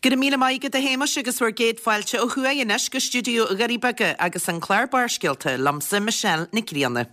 Go raibh míle maith agat a Shéamais agus bhur gcéad fáilte ó thuaidh anois go stiúideo Dhoirí Beaga agus an clár Barrscéalta liomsa Michelle Nic Grianna.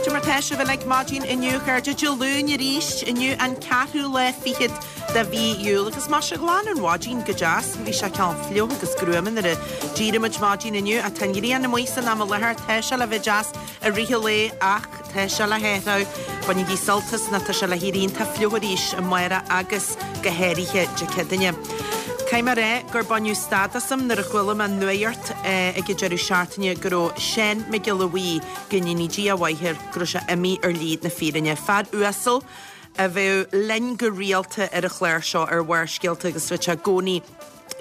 Cad é mar tá sibh uilig maidin inniu, a chairde. Dé Luain arís, inniu an ceathrú lá fichead de mhí Iúil agus maise ghlan an mhaidin go deas. Bhí sé cineál fliuch agus gruama nuair a d'éirigh muid maidin inniu ach tá an ghrian amuigh san am i láthair. Tá sé le bheith deas i rith an lae ach tá sé le hathrú. Bainigí sult as nó tá sé le héirí iontach fliuch arís amárach agus go háirithe Dé Céadaoine. Caithfidh mé a rá gur baineadh stad asam nuair a chuala mé an nuacht ag an deireadh seachtaine go raibh Seán Mac Giolla Bhuí, go ndéanaí Dia a mhaith air, go raibh sé imithe ar shlí na fírinne. Fear uasal a bheadh linn go rialta ar an chlár seo ar Bharrscéalta agus bheadh sé i gcónaí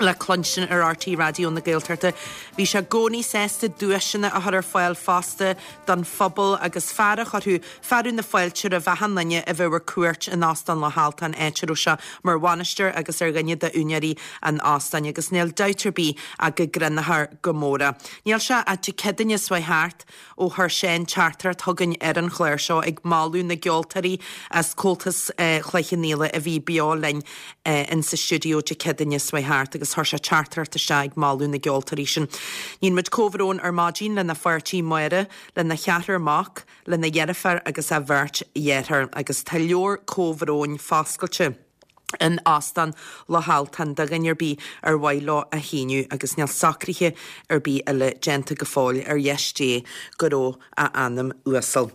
le cluinstin ar RTÉ Raidió na Gaeltachta. Bhí sé i gcónaí sásta duaiseanna a chur ar fáil fosta don phobal agus fear a chuirfeadh fearadh na fáilte roimh achan duine a bheadh ar cuairt in Óstán Loch Altáin, áit a raibh sé mar bhainisteoir agus ar dhuine d'úinéirí an óstáin agus níl dabht ar bith ach go gcronófar go mór é. Níl sé ach Dé Céadaoine seo chuaigh thart ó chuir Seán teachtaireacht chugainn ar an chlár seo ag moladh na gceoltóirí as Comhaltas Chloich Cheann Fhaola a bhí beo linn in sa stiúideo Dé Céadaoine seo chuaigh thart agus chuir sé teachtaireacht isteach ag moladh na gceoltóirí sin. Níonn muid comhbhrón ar maidin lena pháirtí Máire, lena cheathrar mac, lena dheirfiúr agus a bheirt dheartháir agus tá leabhar comhbhróin foscailte in Óstán Loch Altáin do dhuine ar bith ar mhaith leo a shíniú agus níl socruithe ar bith eile déanta go fóill ar dheis Dé go raibh a anam uasal.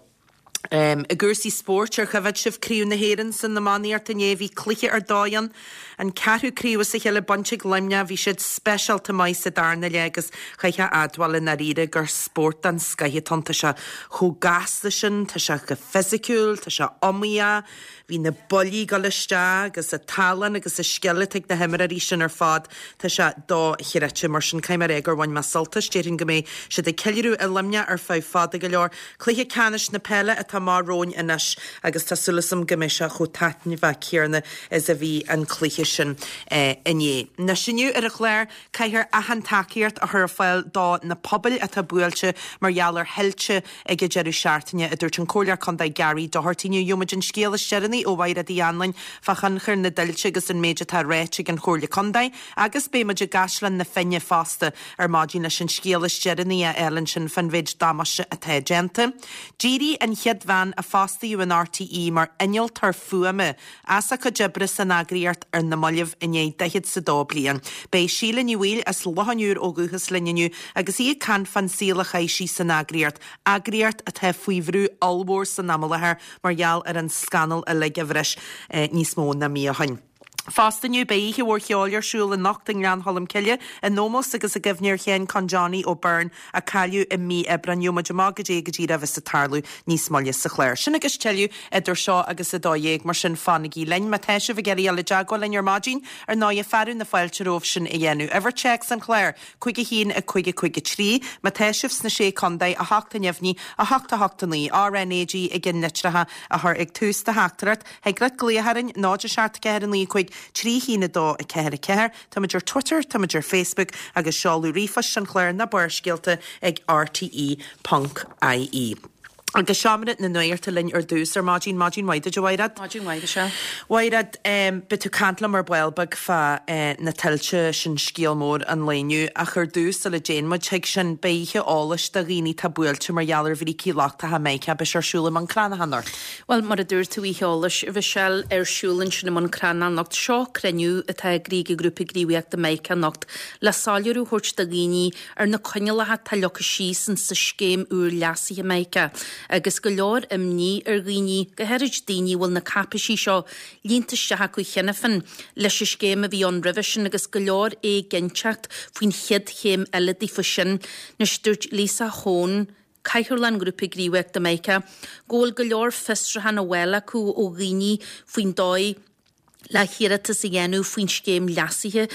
I gcúrsaí spóirt, ar choimhéad sibh Craobh na hÉireann san iománaíocht inné? Bhí cluiche ar dóigh ann. An ceathrú craobh as a chéile bainte ag Luimneach. Bhí siad speisialta maith sa darna leath agus chaithfeá a admháil i ndáiríre gur spórt den scoith atá ann. Tá sé chomh gasta sin, tá sé chomh fisiciúil, tá sé iomaíoch. Bhí na buillí ag dul isteach agus an tallann agus an scil atá ag na himreoirí sin ar fad, tá sé dochreidte. Mar sin, caithfidh mé a rá gur bhain mé sult as. Déarfainn go mbeidh siad ag ceiliúradh i Luimneach ar feadh fada go leor. Cluiche ceannais na peile atá amach romhainn anois agus tá súil agam go mbeidh sé chomh taitneamhach céanna is a bhí an cluiche sin inné. Anois inniu ar an chlár, Caithfear achan tacaíocht a chur ar fáil do na pobail atá buailte mar gheall ar thuilte ag an deireadh seachtaine, a dúirt an Comhairleoir Contae Gary Doherty. Inniu gheobhaidh muid an scéal is deireanaí ó Mhaighread Uí Anluain fá thionchar na dtuilte agus an méid atá ráite ag an Chomhairle Contae agus beidh muid i gCaisleán na Finne fosta ar maidin leis an scéal is deireanaí a fháil ansin fán mhéid damáiste atá déanta. D'éirigh an chéad bhean a fostaíodh in RTÉ mar innealtóir fuaime as a cuid oibre san eagraíocht ar na mallaibh i ndiaidh daichead 's a dó bliain. Beidh Síle Ní Bhaoill as Loch an Iúir ó dhúchas linn inniu agus í ag caint fán saol a chaith sí san eagraíocht, eagraíocht atá faoi bhrú ollmhór san am i láthair mar gheall ar an scannal uilig a bhris níos mó ná mí ó shin. Fosta inniu beidh oíche mhór cheoil ar siúl anocht i nGleann Cholm Cille in ómós agus i gcuimhne ar Sheán Con Johnny Ó Beirn a cailleadh i mí Aibreáin. Gheobhaidh muid amach goidé go díreach a bheas ag tarlú níos moille sa chlár. Sin agus tuilleadh idir seo agus 12, mar sin fanaigí linn. Má tá sibh ag iarraidh dul i dteagmháil linn ar maidin, ar ndóighe, fearadh na fáilte romhaibh sin a dhéanamh. Uimhir téacs an chláir, 5 1 5 5 3. Má tá sibh sna Sé Contae, 8 neamhní, 8 8 9, RnaG i gceannlitreacha a chur ag tús do theachtaireacht. Thig leat glaoch orainn, 0 7 4 9 5 3 1 2 4 4. Táimid ar Twitter, táimid ar Facebook agus seoladh ríomhphoist an chláir ná Barrscéalta ag rte ponc ie. Agus Seomra na Nuachta linn ar dtús ar maidin. Maidin mhaith duit, a Mhaighread. Maidin mhaith, Michelle. Mhaighread, beidh tú ag caint liom ar ball beag fá na tuilte, sin scéal mór an lae inniu. Ach ar dtús, sula dtéann muid chuig sin, beidh oíche eolais do dhaoine atá buailte mar gheall ar bhrící lochtacha Mica, beidh sé ar siúl i mBun Cranncha anocht. Bhuel, mar a dúirt tú, oíche eolais, a Mhichelle, ar siúl ansin i mBun Cranncha anocht. Seo cruinniú atá eagraithe ag Grúpa Gníomhaíochta Mica anocht le soiléiriú a thabhairt do dhaoine ar na coinníollacha atá leagtha síos in sa scéim úr leasaithe Mica agus go leor imní ar dhaoine, go háirid daoine a bhfuil na cáipéisí seo líonta isteach acu cheana féin leis an scéim a bhí ann roimhe sin agus go leor éiginnteacht faoin chéad chéim eile daofa sin. Anois, dúirt Lisa Hone, Cathaoirleach an Ghrúpa Gníomhaíochta Mica, go bhfuil go leor fiosrúchán á bhfáil acu ó dhaoine faoin dóigh le hiarratas a dhéanamh faoin scéim leasaithe.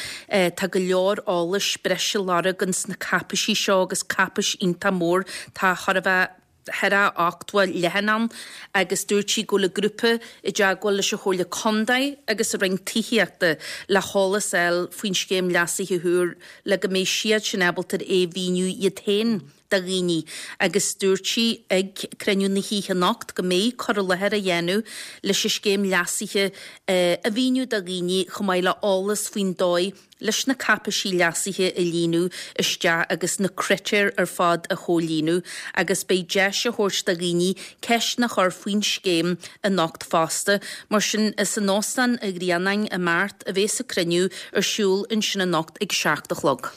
Tá go leor eolais breise á lorg ins na cáipéisí seo agus cáipéis iontach mór. Tá chóir a bheith. 80 leathanach ann agus dúirt sí go bhfuil an grúpa i dteagmháil leis an Chomhairle Contae agus an Roinn Tithíochta le heolas a fháil faoin scéim leasaithe úr le go mbeidh siad sin ábalta é a mhíniú iad féin do dhaoine agus dúirt sí ag cruinniú na hoíche anocht go mbeidh cur i láthair á dhéanamh leis an scéim leasaithe a mhíniú do dhaoine chomh maith le eolas faoin dóigh leis na cáipeisí leasaithe a líonadh isteach agus na critéir ar fad a chomhlíonadh agus beidh deis á thabhairt do dhaoine ceisteanna a chur faoin scéim anocht fosta. Mar sin, is in Óstán an Ghrianáin i mBeart a bheas an cruinniú ar siúl ansin anocht ag 7 a chlog.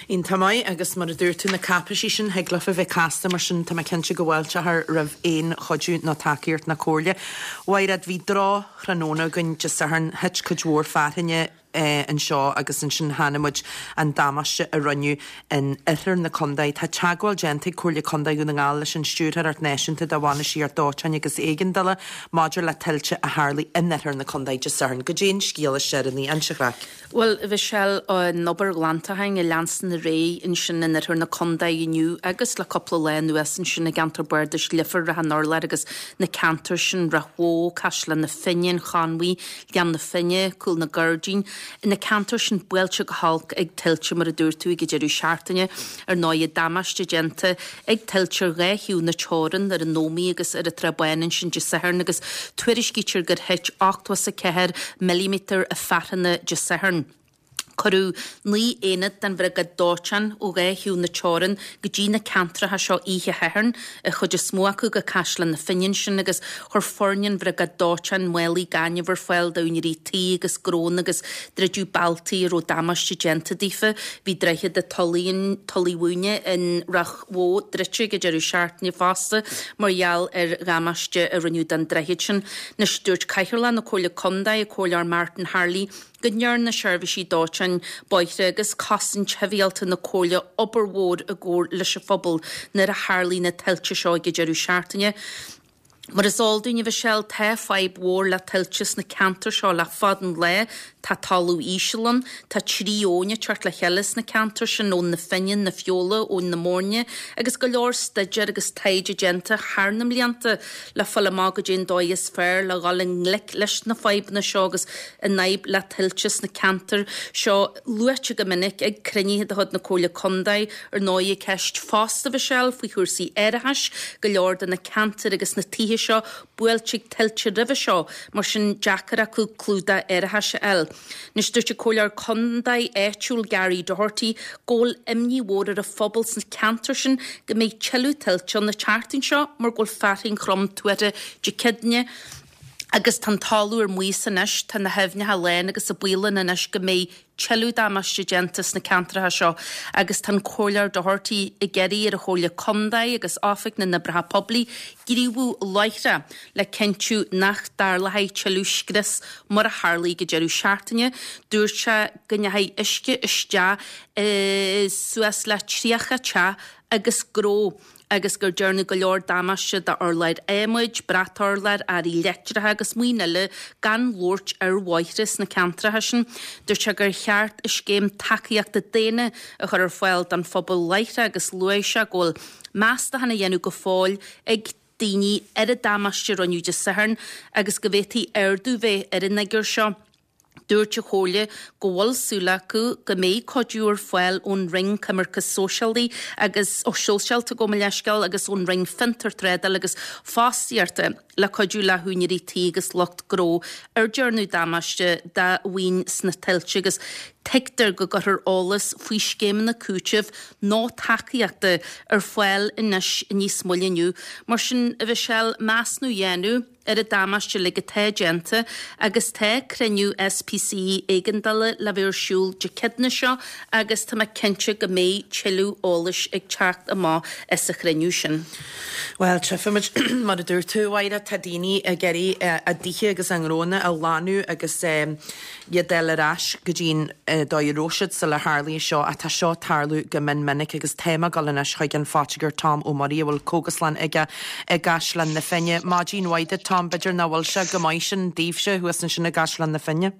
Iontach maith, agus mar a dúirt tú, na cáipeisí sin, thig leofa bheith casta, mar sin tá mé cinnte go bhfáilteofar roimh aon chuidiú nó tacaíocht nó comhairle. Mhairéad, bhí droch-thráthnóna againn Dé Sathairn, thit cuid mhór fearthainne, anseo agus ansin chonaic muid an damáiste a rinneadh in oirthear na contae. Tá teagmháil déanta ag Comhairle Contae Dhún na nGall leis an Stiúrthóireacht Náisiúnta do Bhainistíocht Dóiteáin agus Éigeandála maidir le tuilte a tharlaigh in oirthear na contae Dé Sathairn. Goidé an scéal is deireanaí, inis an chraic. Bhuel, a Mhichelle, an obair ghlantacháin ag leanstan ar aghaidh ansin in oirthear na contae inniu agus le cúpla lá anuas ansin i gceantar bardais Leifear, Ráth an Urláir agus na ceantair sin, Ráth Bhoth, Caisleán na Finne, an Chonmhaigh, Gleann na Finne, Cúl na Gairdín, na ceantair sin buailte go holc ag tuilte mar a dúirt tú ag an deireadh seachtaine. Ar ndóigh, damáiste déanta ag tuilte ar dhá thaobh na teorann, ar an Ómaigh agus ar an Trá Báin ansin Dé Sathairn agus tuairiscítear gur thit 84 milliméadar fearthanna Dé Sathairn. Cuireadh 9 aonad den bhriogáid dóiteáin ó dhá thaobh na teorann go dtí na ceantracha seo oíche Shathairn, an chuid is mó acu go Caisleán na Finne ansin agus chuir foirne an bhriogáid dóiteáin málaí gainimh ar fáil d'úinéirí tí agus gnónna agus druideadh bealtaí a raibh damáiste déanta daofa. Bhí droichead an Tulaigh Mhúine in Ráth Bhoth druidte ag an deireadh seachtaine fosta mar gheall ar dhamáiste a rinneadh don droichead sin. Anois dúirt Cathaoirleach na Comhairle Contae, an Comhairleoir Martin Harley, go ndearna seirbhísí dóiteáin, bóithre agus cosaint shibhialta na Comhairle obair mhór i gcomhar leis an phobal nuair a tharlaigh na tuilte seo ag an deireadh seachtaine. Mar is eol dúinn, a Mhichelle, tá fadhb mhór le tuilte sna ceantair seo le fada an lá. Tá talamh íseal ann, tá 3 abhainn ag teacht le chéile sna ceantair sin, Abhainn na Finne, na Feola, Abhainn na Moirne, agus go leor staidéar agus taighde déanta thar na mblianta le fáil amach goidé an dóigh is fearr le dhul i ngleic leis na fadhbanna seo agus an fhadhb le tuilte sna ceantair seo luaite go minic ag cruinnithe de chuid na Comhairle Contae. Ar ndóigh, ceist fosta, a Mhichelle, faoi chúrsaí árachais, go leor de na ceantair agus na tithe seo buailte ag tuilte roimhe seo, mar sin deacair acu clúdach árachais a fháil. Anois, dúirt an Comhairleoir Contae áitiúil Gary Doherty go bhfuil imní mhór ar an phobal sna ceantair sin go mbeidh tuilleadh tuilte ann an tseachtain seo mar go bhfuil fearthainn throm tuartha Dé Céadaoine agus tá an talamh ar maos anois, tá na haibhneacha lán agus i baol ann anois go mbeidh tuilleadh damáiste déanta sna ceantracha seo agus tá an Comhairleoir Doherty ag iarraidh ar an Chomhairle Contae agus Oifig na nOibreacha Poiblí gníomhú láithreach le cinntiú nach dtarlóidh tuilleadh scrios mar a tharlaigh ag an deireadh seachtaine. Dúirt sé go ndeachaigh uisce isteach i suas le 30 teach agus gnó agus gur dearnadh go leor damáiste d'urláir adhmaid, brat-urláir, earraí leictreacha agus maoin eile gan labhairt ar bhóithre sna ceantracha sin. Dúirt sé gur cheart scéim tacaíochta daonna a chur ar fáil don phobal láithreach agus luaigh sé go bhfuil meastachán á dhéanamh go fóill ag daoine ar an damáiste a rinneadh Dé Sathairn agus go bhféadfaidh ardú bheith ar an fhigiúr seo. Dúirt an Chomhairle go bhfuil súil acu go mbeidh cuidiú ar fáil ón Roinn Coimirce Sóisialaí agus Sóisialta, gabh mo leithscéal, agus ón Roinn Fiontar, Trádála agus Fostaíochta le cuidiú le húinéirí tí agus lucht gnó ar dearnadh damáiste dá mhaoin sna tuilte agus tuigtear go gcuirfear eolas faoi scéimeanna cúitimh nó tacaíochta ar fáil anois níos moille inniu. Mar sin, a Mhichelle, measúnú a dhéanamh ar an damáiste uilig atá déanta agus tá cruinniú SPC éigeandála le bheith ar siúl Dé Céadaoine seo agus tá mé cinnte go mbeidh tuilleadh eolais ag teacht amach as an chruinniú sin. Bhuel, tchífimid, mar a dúirt tú, a Mháire, tá daoine ag iarraidh a dtithe agus a ngnónna a ghlanadh agus iad a fháil ar ais go dtí an dóigh a raibh siad sular tharlaigh seo ach tá seo ag tarlú go mion minic agus tá mé ag dul anois chuig an phoitigéir Tom Ó Muirí a bhfuil cógaslann aige i gCaisleán na Finne. Maidin mhaith duit Tom, b'fhéidir nach bhfuil sé go maith sin daoibhse thuas ansin i gCaisleán na Finne?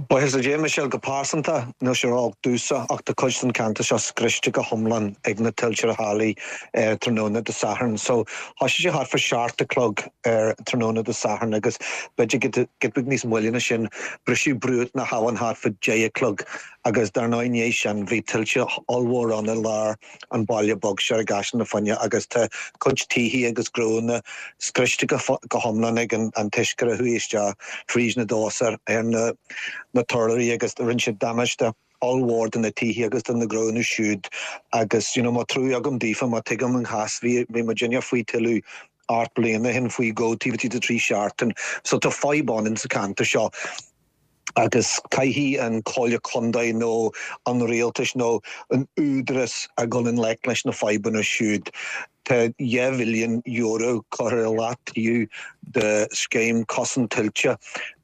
Buíochas le Dia, Michelle, go pearsanta, níl sé ró-olc domhsa ach tá cuid den cheantar seo scriosta go hiomlán ag na tuilte a tharlaigh tráthnóna Dé Sathairn. So, thoisigh sé thart fá seacht a chlog ar tráthnóna Dé Sathairn agus b'fhéidir giota beag níos moille ná sin, briseadh bruach na habhann thart fá deich a chlog agus dar ndóigh i ndiaidh sin bhí tuilte ollmhór ann i lár an baile beag seo i gCaisleán na Finne agus tá cuid tithe agus gnónna scriosta go hiomlán ag an t-uisce a chuaigh isteach fríd na doirse ar na turláirí agus rinne siad damáiste ollmhór do na tithe agus do na gnónna siúd agus you know tá trua agam daofa mar tuigim an chás bhí bhí muidinne faoi tuile 8 bliana ó shin faoi dhó taobh istigh de 3 seachtain so tá fadhb ann insa cheantar seo. agus caithfidh an Comhairle Contae nó an Rialtais nó an Údarás a dhul i ngleic leis na fadhbanna siúd. Tá €2 mhilliún curtha i leataobh do scéim cosaint tuilte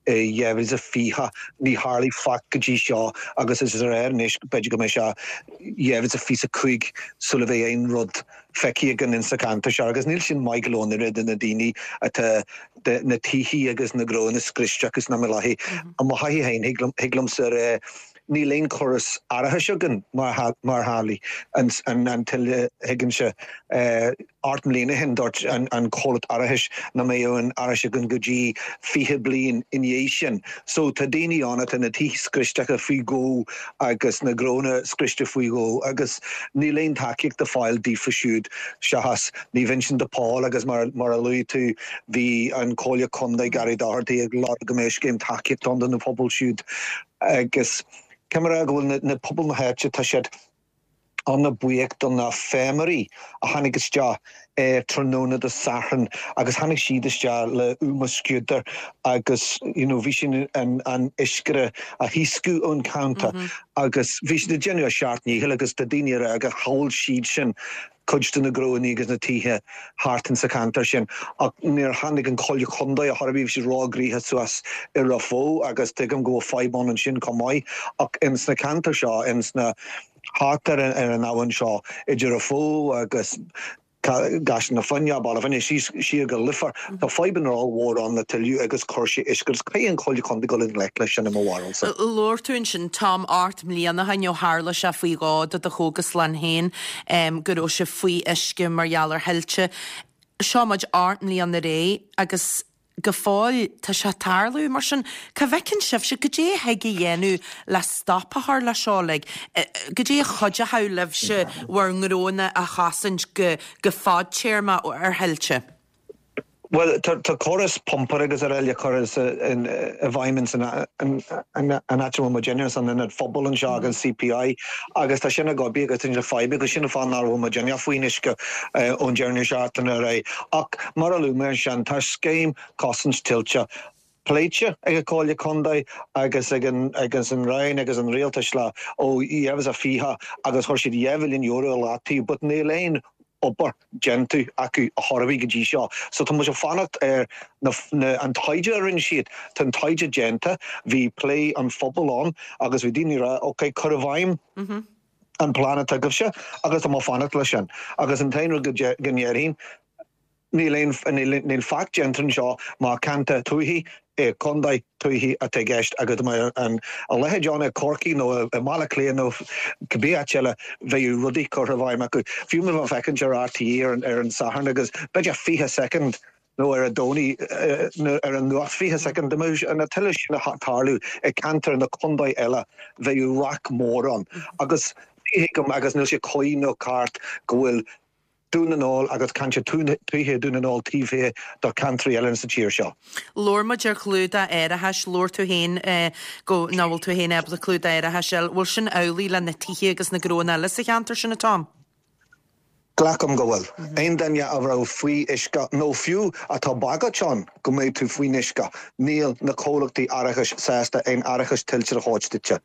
i 2020. Ní tharlaigh faic go dtí seo agus is léir anois b'fhéidir go mbeidh sé 2025 sula bheidh aon rud feicthe againn insa cheantar seo agus níl sin maith go leor an oiread do na daoine atá na tithe agus na gnónna scriosta acu sna I mo thaithí féin thig liomsa a rá níl aon chóras árachais againn má tharlaíonn an tuile thuigimse. 8 mbliana ó shin dúirt an comhlacht árachais nach mbeadh aon árachas againn go dtí 20 bliain i ndiaidh sin. So tá daoine ann atá na tithe scriosta acu faoi dhó agus na gnónna scriosta faoi dhó agus níl aon tacaíocht le fáil daofa siúd seachas Naomh Uinseann de Pól agus mar a luaigh tú bhí an Comhairle Contae Gary Doherty ag lorg go mbeadh scéim tacaíochta ann do na pobail siúd agus caithfidh mé a rá go bhfuil na pobail na háite tá siad ana-bhuíoch do na feirmeoirí a tháinig isteach ar tráthnóna Dé Sathairn agus tháinig siad isteach le úma scútar agus you know bhí siad an an uisce a thaoscadh ón cheantar agus bhí siad ag déanamh a seacht ndícheall agus tá daoine ag rá gur shábháil siad sin cuid de na gnónna agus na tithe thart insa cheantar sin ach níor tháinig an Chomhairle Contae ar chor ar bith, bhí siad ró-ghnoitheach suas i Ráth Bhoth agus tuigim go bhfuil fadhb ann ansin chomh maith ach ins na ceantair seo, ins na thart ar an abhainn seo idir Ráth Bhoth agus Caisleán na Finne, Baile Finne, síos siar go Leifear, tá fadhbanna ollmhór ann le tuile agus cúrsaí uisce agus caithfidh an Chomhairle Contae dul i ngleic leis sin i mo bharúilsa. Labhair tú ansin, Tom, 8 mbliana ó shin ó tharla sé faoi dhó do do chógaslann féin go raibh sé faoi uisce mar gheall ar thuilte. Seo muid 8 mbliana ar aghaidh agus go fóill tá sé ag tarlú. Mar sin, cá bhfeiceann sibhse, goidé a thig a dhéanamh le stop a chur leis seo uilig? Goidé a chuideochadh libhse bhur ngnónna a chosaint go go fadtéarmach ar thuilte? Bhuel, tá córas pumpála agus araile curtha i bhfeidhm ins an áit a bhfuil muidinne, san ionad phobail anseo ag an CPI agus tá sin ag oibriú agus tá sin ag feidhmiú agus sin an fáth nach bhfuil muidinne faoin uisce ón deireadh seachtaine ar aghaidh. Ach mar a luaigh mé ansin, tá scéim cosaint tuilte pléite ag an Chomhairle Contae agus ag an agus an Roinn agus an Rialtas le ó 2020 agus chuir siad €2 mhilliún i leataobh but níl aon obair déanta acu ar chor ar bith go dtí seo. So tá muid ag fanacht ar na na an taighde a rinne siad. Tá an taighde déanta, bhí plé an phobail ann agus bhí daoine ag rá ok cuir i bhfeidhm an plean atá agaibhse agus tá mé ag fanacht leis sin. Agus an t-aon rud go ndéarfainn, níl aon, níl faic déanta anseo mar ceantar tuaithe i contae tuaithe atá i gceist agus dá mbeadh an a leithéid ann i Corcaigh nó i mBaile Átha Cliath nó cibé áit eile bheadh rudaí curtha i bhfeidhm acu. Fiú má bheifeá ag féachaint ar RTÉ ar an Satharn agus b'fhéidir 20 soicind nó ar an Domhnach ar an nuacht 20 soicind, dá mbeadh na tuile sin ag tarlú i gceantar na contae eile bheadh raic mór ann agus ní thuigim agus níl sé cuí nó ceart go bhfuil Dún na nGall agus ceantar tuaithe Dhún na nGall taobh thiar de cheantraí eile sa tír seo. Labhair muid ar chlúdach árachais, labhair tú féin go nach bhfuil tú féin ábalta clúdach árachais a fháil. Bhfuil sin amhlaidh le na tithe agus na gnónna eile sa cheantar sin, a Tom? Glacaim go bhfuil. Aon duine a raibh faoi uisce, nó fiú atá bagairt ann go mbeidh tú faoin uisce, níl na comhlachtaí árachais sásta aon árachas tuilte a thabhairt duitse.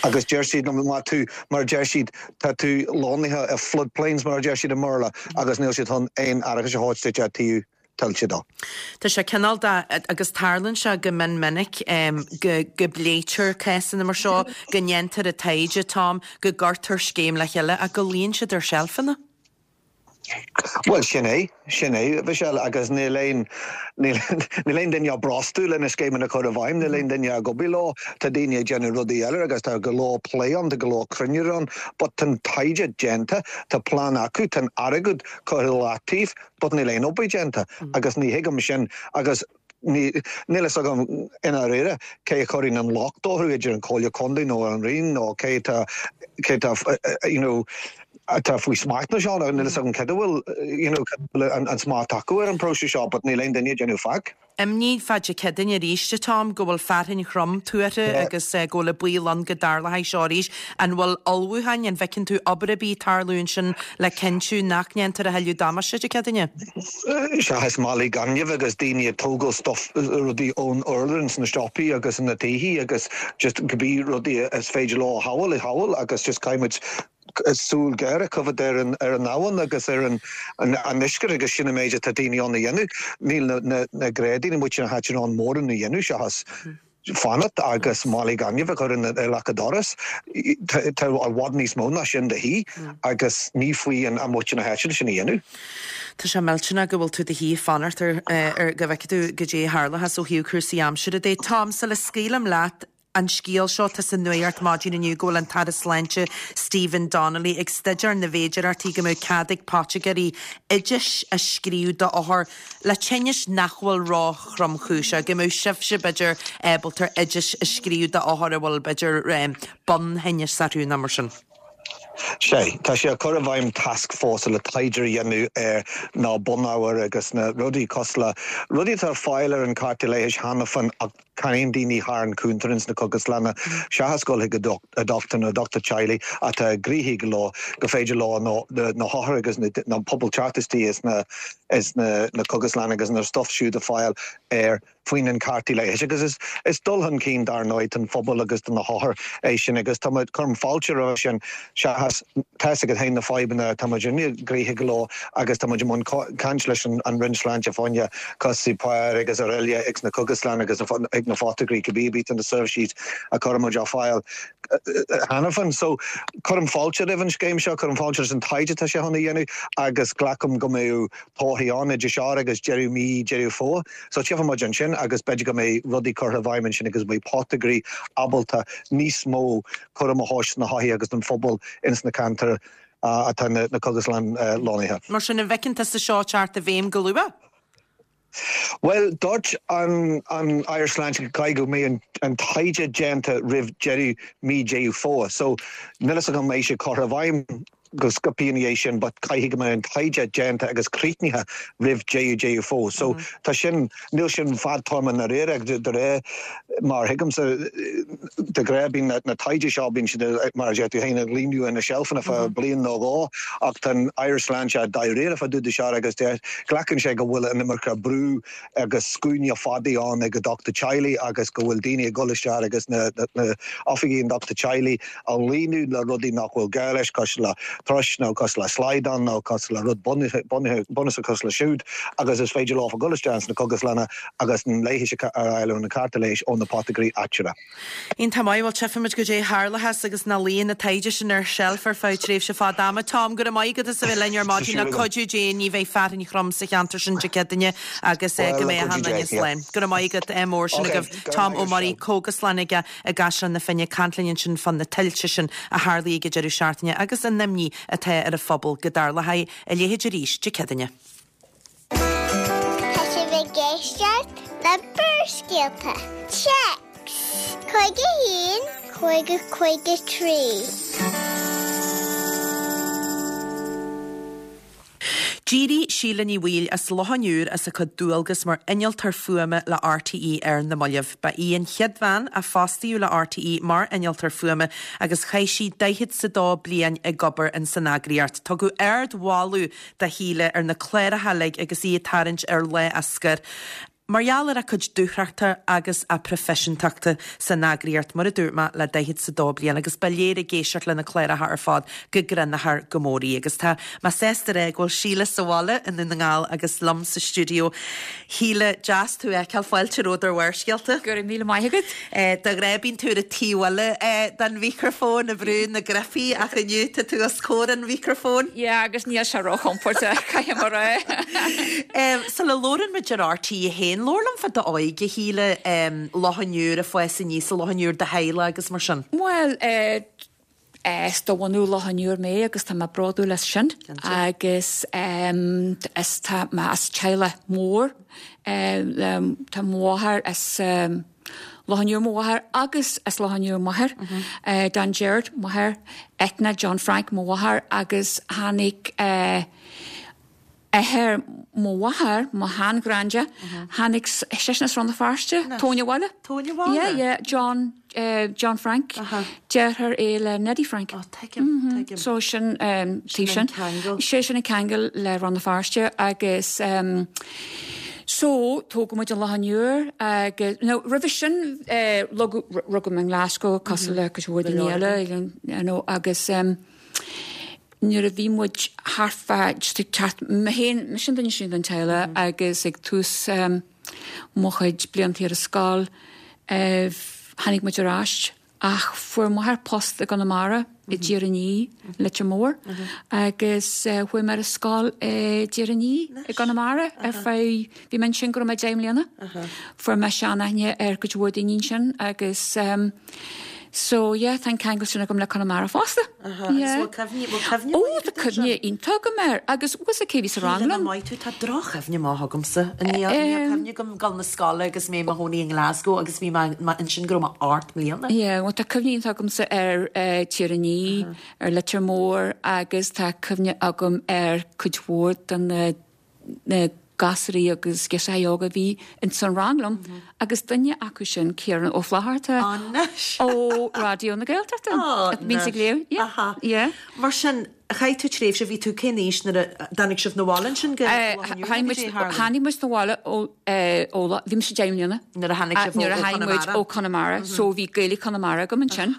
Agus deir siad liom, má tú, mar a deir siad, tá tú lonnaithe i floodplains mar a deir siad i mBéarla agus níl siad chun aon árachas a thabhairt duit i dtaobh tuilte de. Tá sé cineál de, agus tarlaíonn sé go mion minic, go go bpléitear cásanna mar seo, go ndéantar an taighde, Tom, go gcuirtear scéim le chéile ach go luíonn siad ar seilfeanna. Bhuel, sin é, sin é, a Mhichelle, agus níl aon, níl, níl aon duine á brostú le na scéimeanna a chur i bhfeidhm, níl aon duine ag obair leo, tá daoine ag déanamh rudaí eile agus tá go leor plé ann, tá go leor cruinnithe ann, but tá an taighde déanta, tá plean acu, tá an airgead curtha i leataobh, but níl aon obair déanta agus ní thuigim sin agus ní, níl fhios agam i ndáiríre cé a chuireann an locht orthu, idir an Comhairle Contae nó an Roinn nó cé atá, cé atá you know atá faoi smacht na seo, níl fhios agam cad a bhfuil you know cad a bhfuil an smacht acu ar an próiseas seo but níl aon duine ag déanamh faic. Imní fá Dé Céadaoine arís, a Tom, go bhfuil fearthainn throm tuartha agus go bhfuil an baol ann go dtarlóidh seo arís. An bhfuil ullmhúcháin, an bhfeiceann tú obair ar bith ag tarlú ansin le cinntiú nach ndéantar a thuilleadh damáiste Dé Céadaoine? Seachas málaí gainimh agus daoine ag tógáil stuff, rudaí ón urlár ins na siopaí agus na tithe agus just cibé rudaí is féidir leo a shábháil, a shábháil agus just caithfidh muid súil ghéar a choimhéad ar an ar an abhainn agus ar an an uisce agus sin an méid atá daoine ann a dhéanamh. Níl na na na gnáthdhaoine amuigh sna háiteanna in ann mórán a dhéanamh seachas fanacht agus málaí gainimh a chur in i leac an doras. Tá tá i bhfad níos mó ná sin de dhíth agus ní faoi an muintir na háite sin a dhéanamh. Tá sé millteanach go bhfuil tú de shíor fanacht ar ar go bhfeicfidh tú goidé a tharlóchas ó thaobh cúrsaí aimsire de. Tom, sula scaoilim leat, An scéal seo, tá sa nuacht maidin inniu go bhfuil an tAire Sláinte Stephen Donnelly ag staidéar na bhféidearthachtaí go mbeadh cead ag poitigéirí oidis a scríobh d'othair le tinnis nach bhfuil ró-thromchúiseach, go mbeadh sibhse, b'fhéidir, ábalta oidis a scríobh d'othair a bhfuil, b'fhéidir, bun-thinneas orthu nó mar sin. Sea, tá sé ag cur i bhfeidhm tascfhórsa le taighde a dhéanamh ar na bunábhair agus na rudaí cosúil le rudaí atá ar fáil ar an cárta leighis cheana féin ach ceannaíonn daoine thar an cuntar ins na cógaslanna seachas dul chuig a dochtúir nó dochtúir teaghlaigh atá gnoitheach leo go féidir leo na hothair agus na pobal teacht istigh ins na cógaslanna agus na stuff siúd a fáil ar faoin an cártaí leighis agus is is dul chun cinn dar ndóigh don phobal agus do na hothair é sin agus tá muid, cuirim fáilte roimhe sin seachas, tá fhios agat féin na fadhbanna atá muid gnoitheach leo agus tá muid i mbun caint leis an an Roinn Sláinte fá choinne cúrsaí páir agus araile ag na cógaslanna agus ag na phoitigéirí cibé ar bith na seirbhísí a chuireann muid ar fáil cheana féin. So cuirim fáilte roimh an scéim seo, cuirim fáilte leis an taighde atá sé chun a dhéanamh agus glacaim go mbeidh torthaí ann idir seo agus deireadh mí Deireadh Fómhair. So tchífidh muid ansin agus b'fhéidir go mbeidh rudaí curtha i bhfeidhm ansin agus beidh poitigéirí ábalta níos mó cúram a thabhairt do na hothair agus don phobal ins na ceantair atá na cógaslann lonnaithe. Mar sin, an bhfeiceann tusa seo ag teacht i bhfeidhm go luath? Bhuel, dúirt an an Aire Sláinte go gcaithfidh go mbeidh an taighde déanta roimh deireadh mí Deireadh Fómhair. So, níl fhios agam an mbeidh sé curtha i bhfeidhm go sciobtha ina dhiaidh sin but caithfidh go mbeidh an taighde déanta agus críochnaithe roimh deireadh Deireadh Fómhair. So tá sin, níl sin fadtéarma i ndáiríre de réir mar a thuigimse de ghnáth bíonn na taighde seo, bíonn siad mar a deir tú féin ag líonadh na seilfeanna fá bliain nó dhó ach tá an Aire Sláinte dáiríre fá dtaobh de seo agus deir, glacann sé go bhfuil an iomarca brú agus scuainí fada ann ag an dochtúir teaghlaigh agus go bhfuil daoine ag dul isteach agus na oifigí an dochtúir teaghlaigh á líonadh le rudaí nach bhfuil gá leis, cosúil le turais nó cosúil le slaghdán nó cosúil le rud bunúsach cosúil le siúd agus is féidir leo a dhul isteach ins na cógaslanna agus an leigheas a fháil nó na cárta leighis ó na poitigéirí áitiúla. Iontach maith, bhuel tchífimid goidé a tharlóchas agus nach luíonn an taighde sin ar sheilf ar feadh tréimhse fada ama. Tom, go raibh maith agat as a bheith linn ar maidin, le cuidiú Dé ní bheidh fearthainn throm sa cheantar sin Dé Céadaoine agus go mbeidh achan duine slán. Go raibh maith agat, ádh mór sin agaibh. Tom Ó Muirí, cógaslann aige i gCaisleán na Finne, ag caint linn ansin fá na tuilte sin a tharlaigh ag an deireadh seachtaine agus an imní atá ar an phobal go dtarlóidh a leithéid arís Dé Céadaoine. Tá sibh ag éisteacht le Barrscéalta. Téacs 51 50 53. D'éirigh Síle Ní Bhaoill as Loch an Iúir as a cuid dualgas mar innealtóir fuaime le RTÉ ar na mallaibh. Ba í an chéad bhean a fostaíodh le RTÉ mar innealtóir fuaime agus chaith sí daichead 's a dó bliain ag obair ins an eagraíocht. Tugadh ard-mholadh do Shíle ar na cláracha uilig agus í ag tarraingt ar lá a scoir. Mar gheall ar a cuid dúthrachta agus a proifisiúntachta san eagraíocht, mar a dúirt mé, le daichead 's a dó bliain, agus ba léir ag éisteacht lena cláracha ar fad go gcruthnóthar go mór í. Agus tá mé sásta a rá go bhfuil Síle sa bhaile i nDún na nGall agus liom sa stiúideo. Shíle, deas tú a fheiceáil, fáilte romhat ar Bharrscéalta. Go raibh míle maith agat. De ghnáth bíonn tú ar an taobh eile den mhicreafón ag brú na gcnaipí ach inniu tá tú os comhair an mhicreafóin. Yeah agus níl sé róchompordach, caithfidh mé a rá. Sula labhrann muid ar RTÉ 1, labhair liom fá d'óige, a Shíle, Loch an Iúir, ag fás aníos i Loch an Iúir, do theaghlach agus mar sin. Bhuel, is de bhunadh Loch an Iúir mé agus tá mé bródúil as sin agus is tá mé as teaghlach mór. Tá mo mháthair as Loch an Iúir mo mháthair agus as Loch an Iúir m'athair, Don Gerard, m'athair, Eithne, John Frank, mo mháthair agus tháinig athair mo mháthar, mo shean-ghranda, tháinig seisean as Rann na Feirste, Tóin an Bhaile. Tóin an Bhaile? Yeah, yeah, John, John Frank, deartháir é le Neddy Frank. Oh, tuigim, tuigim. So sin, taobh sin. Sin an ceangal. Sé sin an ceangal le Rann na Feirste agus so tógadh muid i Loch an Iúir agus, no, roimhe sin, rugadh, rugadh mé i nGlasgow cosúil le cuid mhór daoine eile, you know, agus, Nuair a bhí muid thart fá, just ag teacht, mé féin, mise an duine is sine den teaghlach agus ag tús mo chuid blianta ar an scoil, tháinig muid ar ais ach fuair m'athair post i gConamara, i dTír an Fhia, Leitir Móir, agus chuaigh mé ar an scoil i dTír an Fhia i gConamara ar feadh, bhí mé ansin go raibh mé 10 mbliana. Fuair mé seanaithne ar cuid mhór daoine ansin agus So yeah, tá an ceangal sin agam le Conamara fosta. Aha, agus Yeah. bhfuil cuimhne, bhfuil cuimhne Ó, mhaith tá agat air sin? cuimhne iontach agam air agus bhfuil 'fhios a'd cé bhí sa rang Shíle, liom? maith tú, tá droch-chuimhne maith agamsa. Níl, níl Em. cuimhne agam dul na scoile agus mé i mo chónaí i nGlasgow agus bhí mé, mé ansin go raibh mé 8 mbliana. Yeah, bhuel tá cuimhne iontach agamsa ar eh, Tír an Fhia, ar Leitir Móir agus tá cuimhne agam ar cuid mhór de na na gasúraí agus girseachaí óga a bhí ins an rang liom agus duine acu sin Ciarán Ó Flatharta Anois! ó Raidió na Gaeltachta. Anois! Bíonn ag léamh. Yeah. Aha. Yeah. Mar sin, chaith tú tréimhse, bhí tú cén aois nuair a dtáinig sibh 'na bhaile ansin go Loch an Iúir Tháinig muid, tháinig muid 'na bhaile ó, ó, bhí mise deich mbliana. Nuair a tháinig sibh ó Nuair a tháinig muid Chonamara. ó Conamara. So bhí Gaeilge Chonamara agam ansin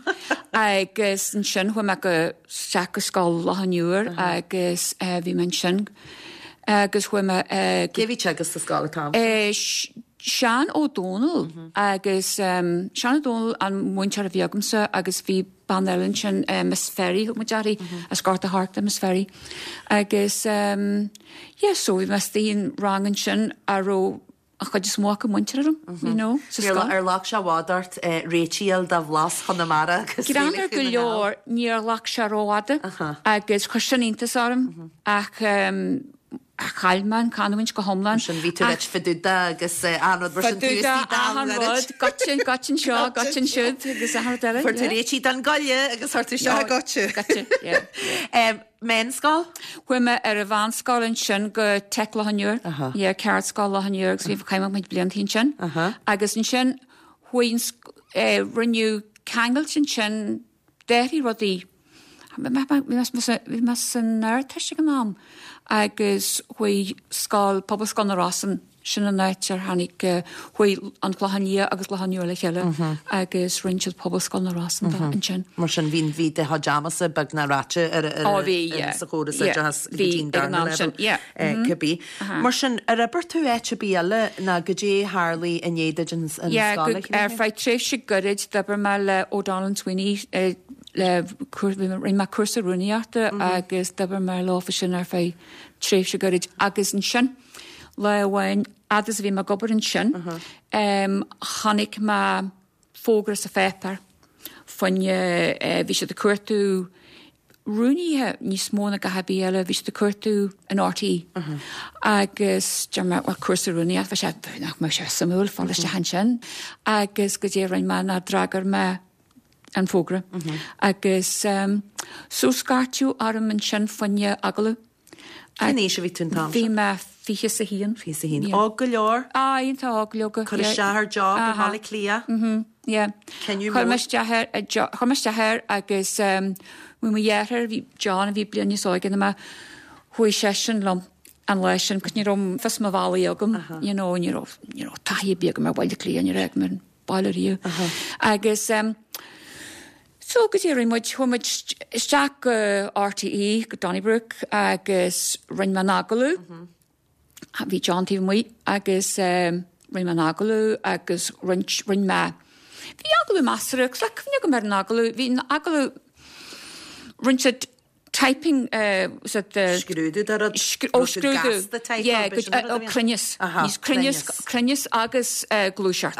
agus ansin chuaigh mé go isteach go Scoil Loch an Iúir agus bhí mé ansin agus chuaigh mé go. Cé a bhí ag teagasc sa scoil an t-am sin? Seán Ó Dónaill agus Seán Ó Dónaill an múinteoir a bhí agamsa agus bhí bean eile ansin, Miss Ferry, thug muid uirthi, as Gort a' Choirce, Miss Ferry. Agus yeah so bhí mé istigh in rang ansin a raibh an chuid is mó acu muinteartha liom, you know, sa scoil. Ar ghlac sé i bhfad ort réiteach a fháil do bhlas Chonamara agus Greannmhar go leor, níor ghlac sé rófhada agus chuir sin iontas orm ach chaill mé an chanúint go hiomlán. Mar sin bhí tú ag fá dtaobh de agus achan rud mar sin Fá dtaobh de, achan rud, goitse, goitse anseo, goitse ansiúd agus achan rud eile. Fuair tú réitithe don gcoille agus chuir tú isteach an goitse. Goitse, yeah. Meánscoil? Chuaigh mé ar an mheánscoil ansin go Teic Loch an Iúir. Aha. Yeah, Ceardscoil Loch an Iúir agus bhí chaith muid blianta ansin. Aha. Agus ansin chuaigh an eh, rinneadh ceangailt ansin d'athraigh rudaí. Bhí mé san Ardteist ag an am agus chuaigh scoil, Pobalscoil na Rosann, Sin an áit ar tháinig, chuaigh an Clochán Liath agus Loch an Iúir le chéile agus rinne siad Pobalscoil na Rosann de ansin. Mar sin bhí, bhí do chuid amasa beagnach ráite ar, ar, Ó bhí, yeah. sa chóras Yeah. oideachais go Bhí, dtí an ag an darna am sin, leibhéal, yeah. cibé. Mar sin, ar oibir tú áit ar bith eile ná goidé a tharlaigh i ndiaidh duit an, an Yeah, scoil a go, ar chríochnú? feadh tréimhse gairid d'oibir mé le O'Donnell and Sweeney le, rinne mé cúrsa rúnaíochta agus d'oibir mé leofa sin ar feadh tréimhse gairid agus ansin, Lá amháin, fhad is a bhí mé ag obair ansin, chonaic mé fógra sa pháipéar fá choinne, bhí siad ag cuartú rúnaithe níos mó ná gach ar bith eile, bhí siad ag cuartú in RTÉ. Agus deir mé, bhuel, cúrsa rúnaíochta, bheadh sé, nach mbeadh sé suimiúil fáil isteach ansin. Agus goidé a rinne mé ná d'fhreagair mé an fógra. Agus so scairteadh orm ansin fá choinne agallamh. Cén aois a bhí tú an t-am sin? Bhí mé 21. 21. Óg go leor? Á, iontach óg, leoga. Cur isteach ar job i mBaile Átha Cliath? Mhm, yeah. Cinneadh Chuir mé mór. isteach ar, chuir mé isteach air agus bhí mo dheartháir, bhí John, a bhí bliain níos óige ná mé, chuaigh seisean liom. an lá sin, 'cause ní raibh fios mo bhealaigh agam, you know, ní raibh, ní raibh taithí ar bith agam ar Bhaile Átha Cliath, ní raibh agam ar an baile riamh. Agus em so goidé a rinne muid, chuaigh muid isteach go RTÉ, go Donnybrook agus rinne mé an agallamh. Bhí John taobh amuigh agus rinne mé an agallamh agus roinnt, rinne mé, bhí agallamh measartha, agus tá cuimhne agam ar an agallamh, bhí an agallamh, rinne siad typing, was it the. Scrúdú de rud, ó scrúdú, gasta type, yeah, go, ó cruinneas, níos cruinneas, cruinneas agus gluaiseacht.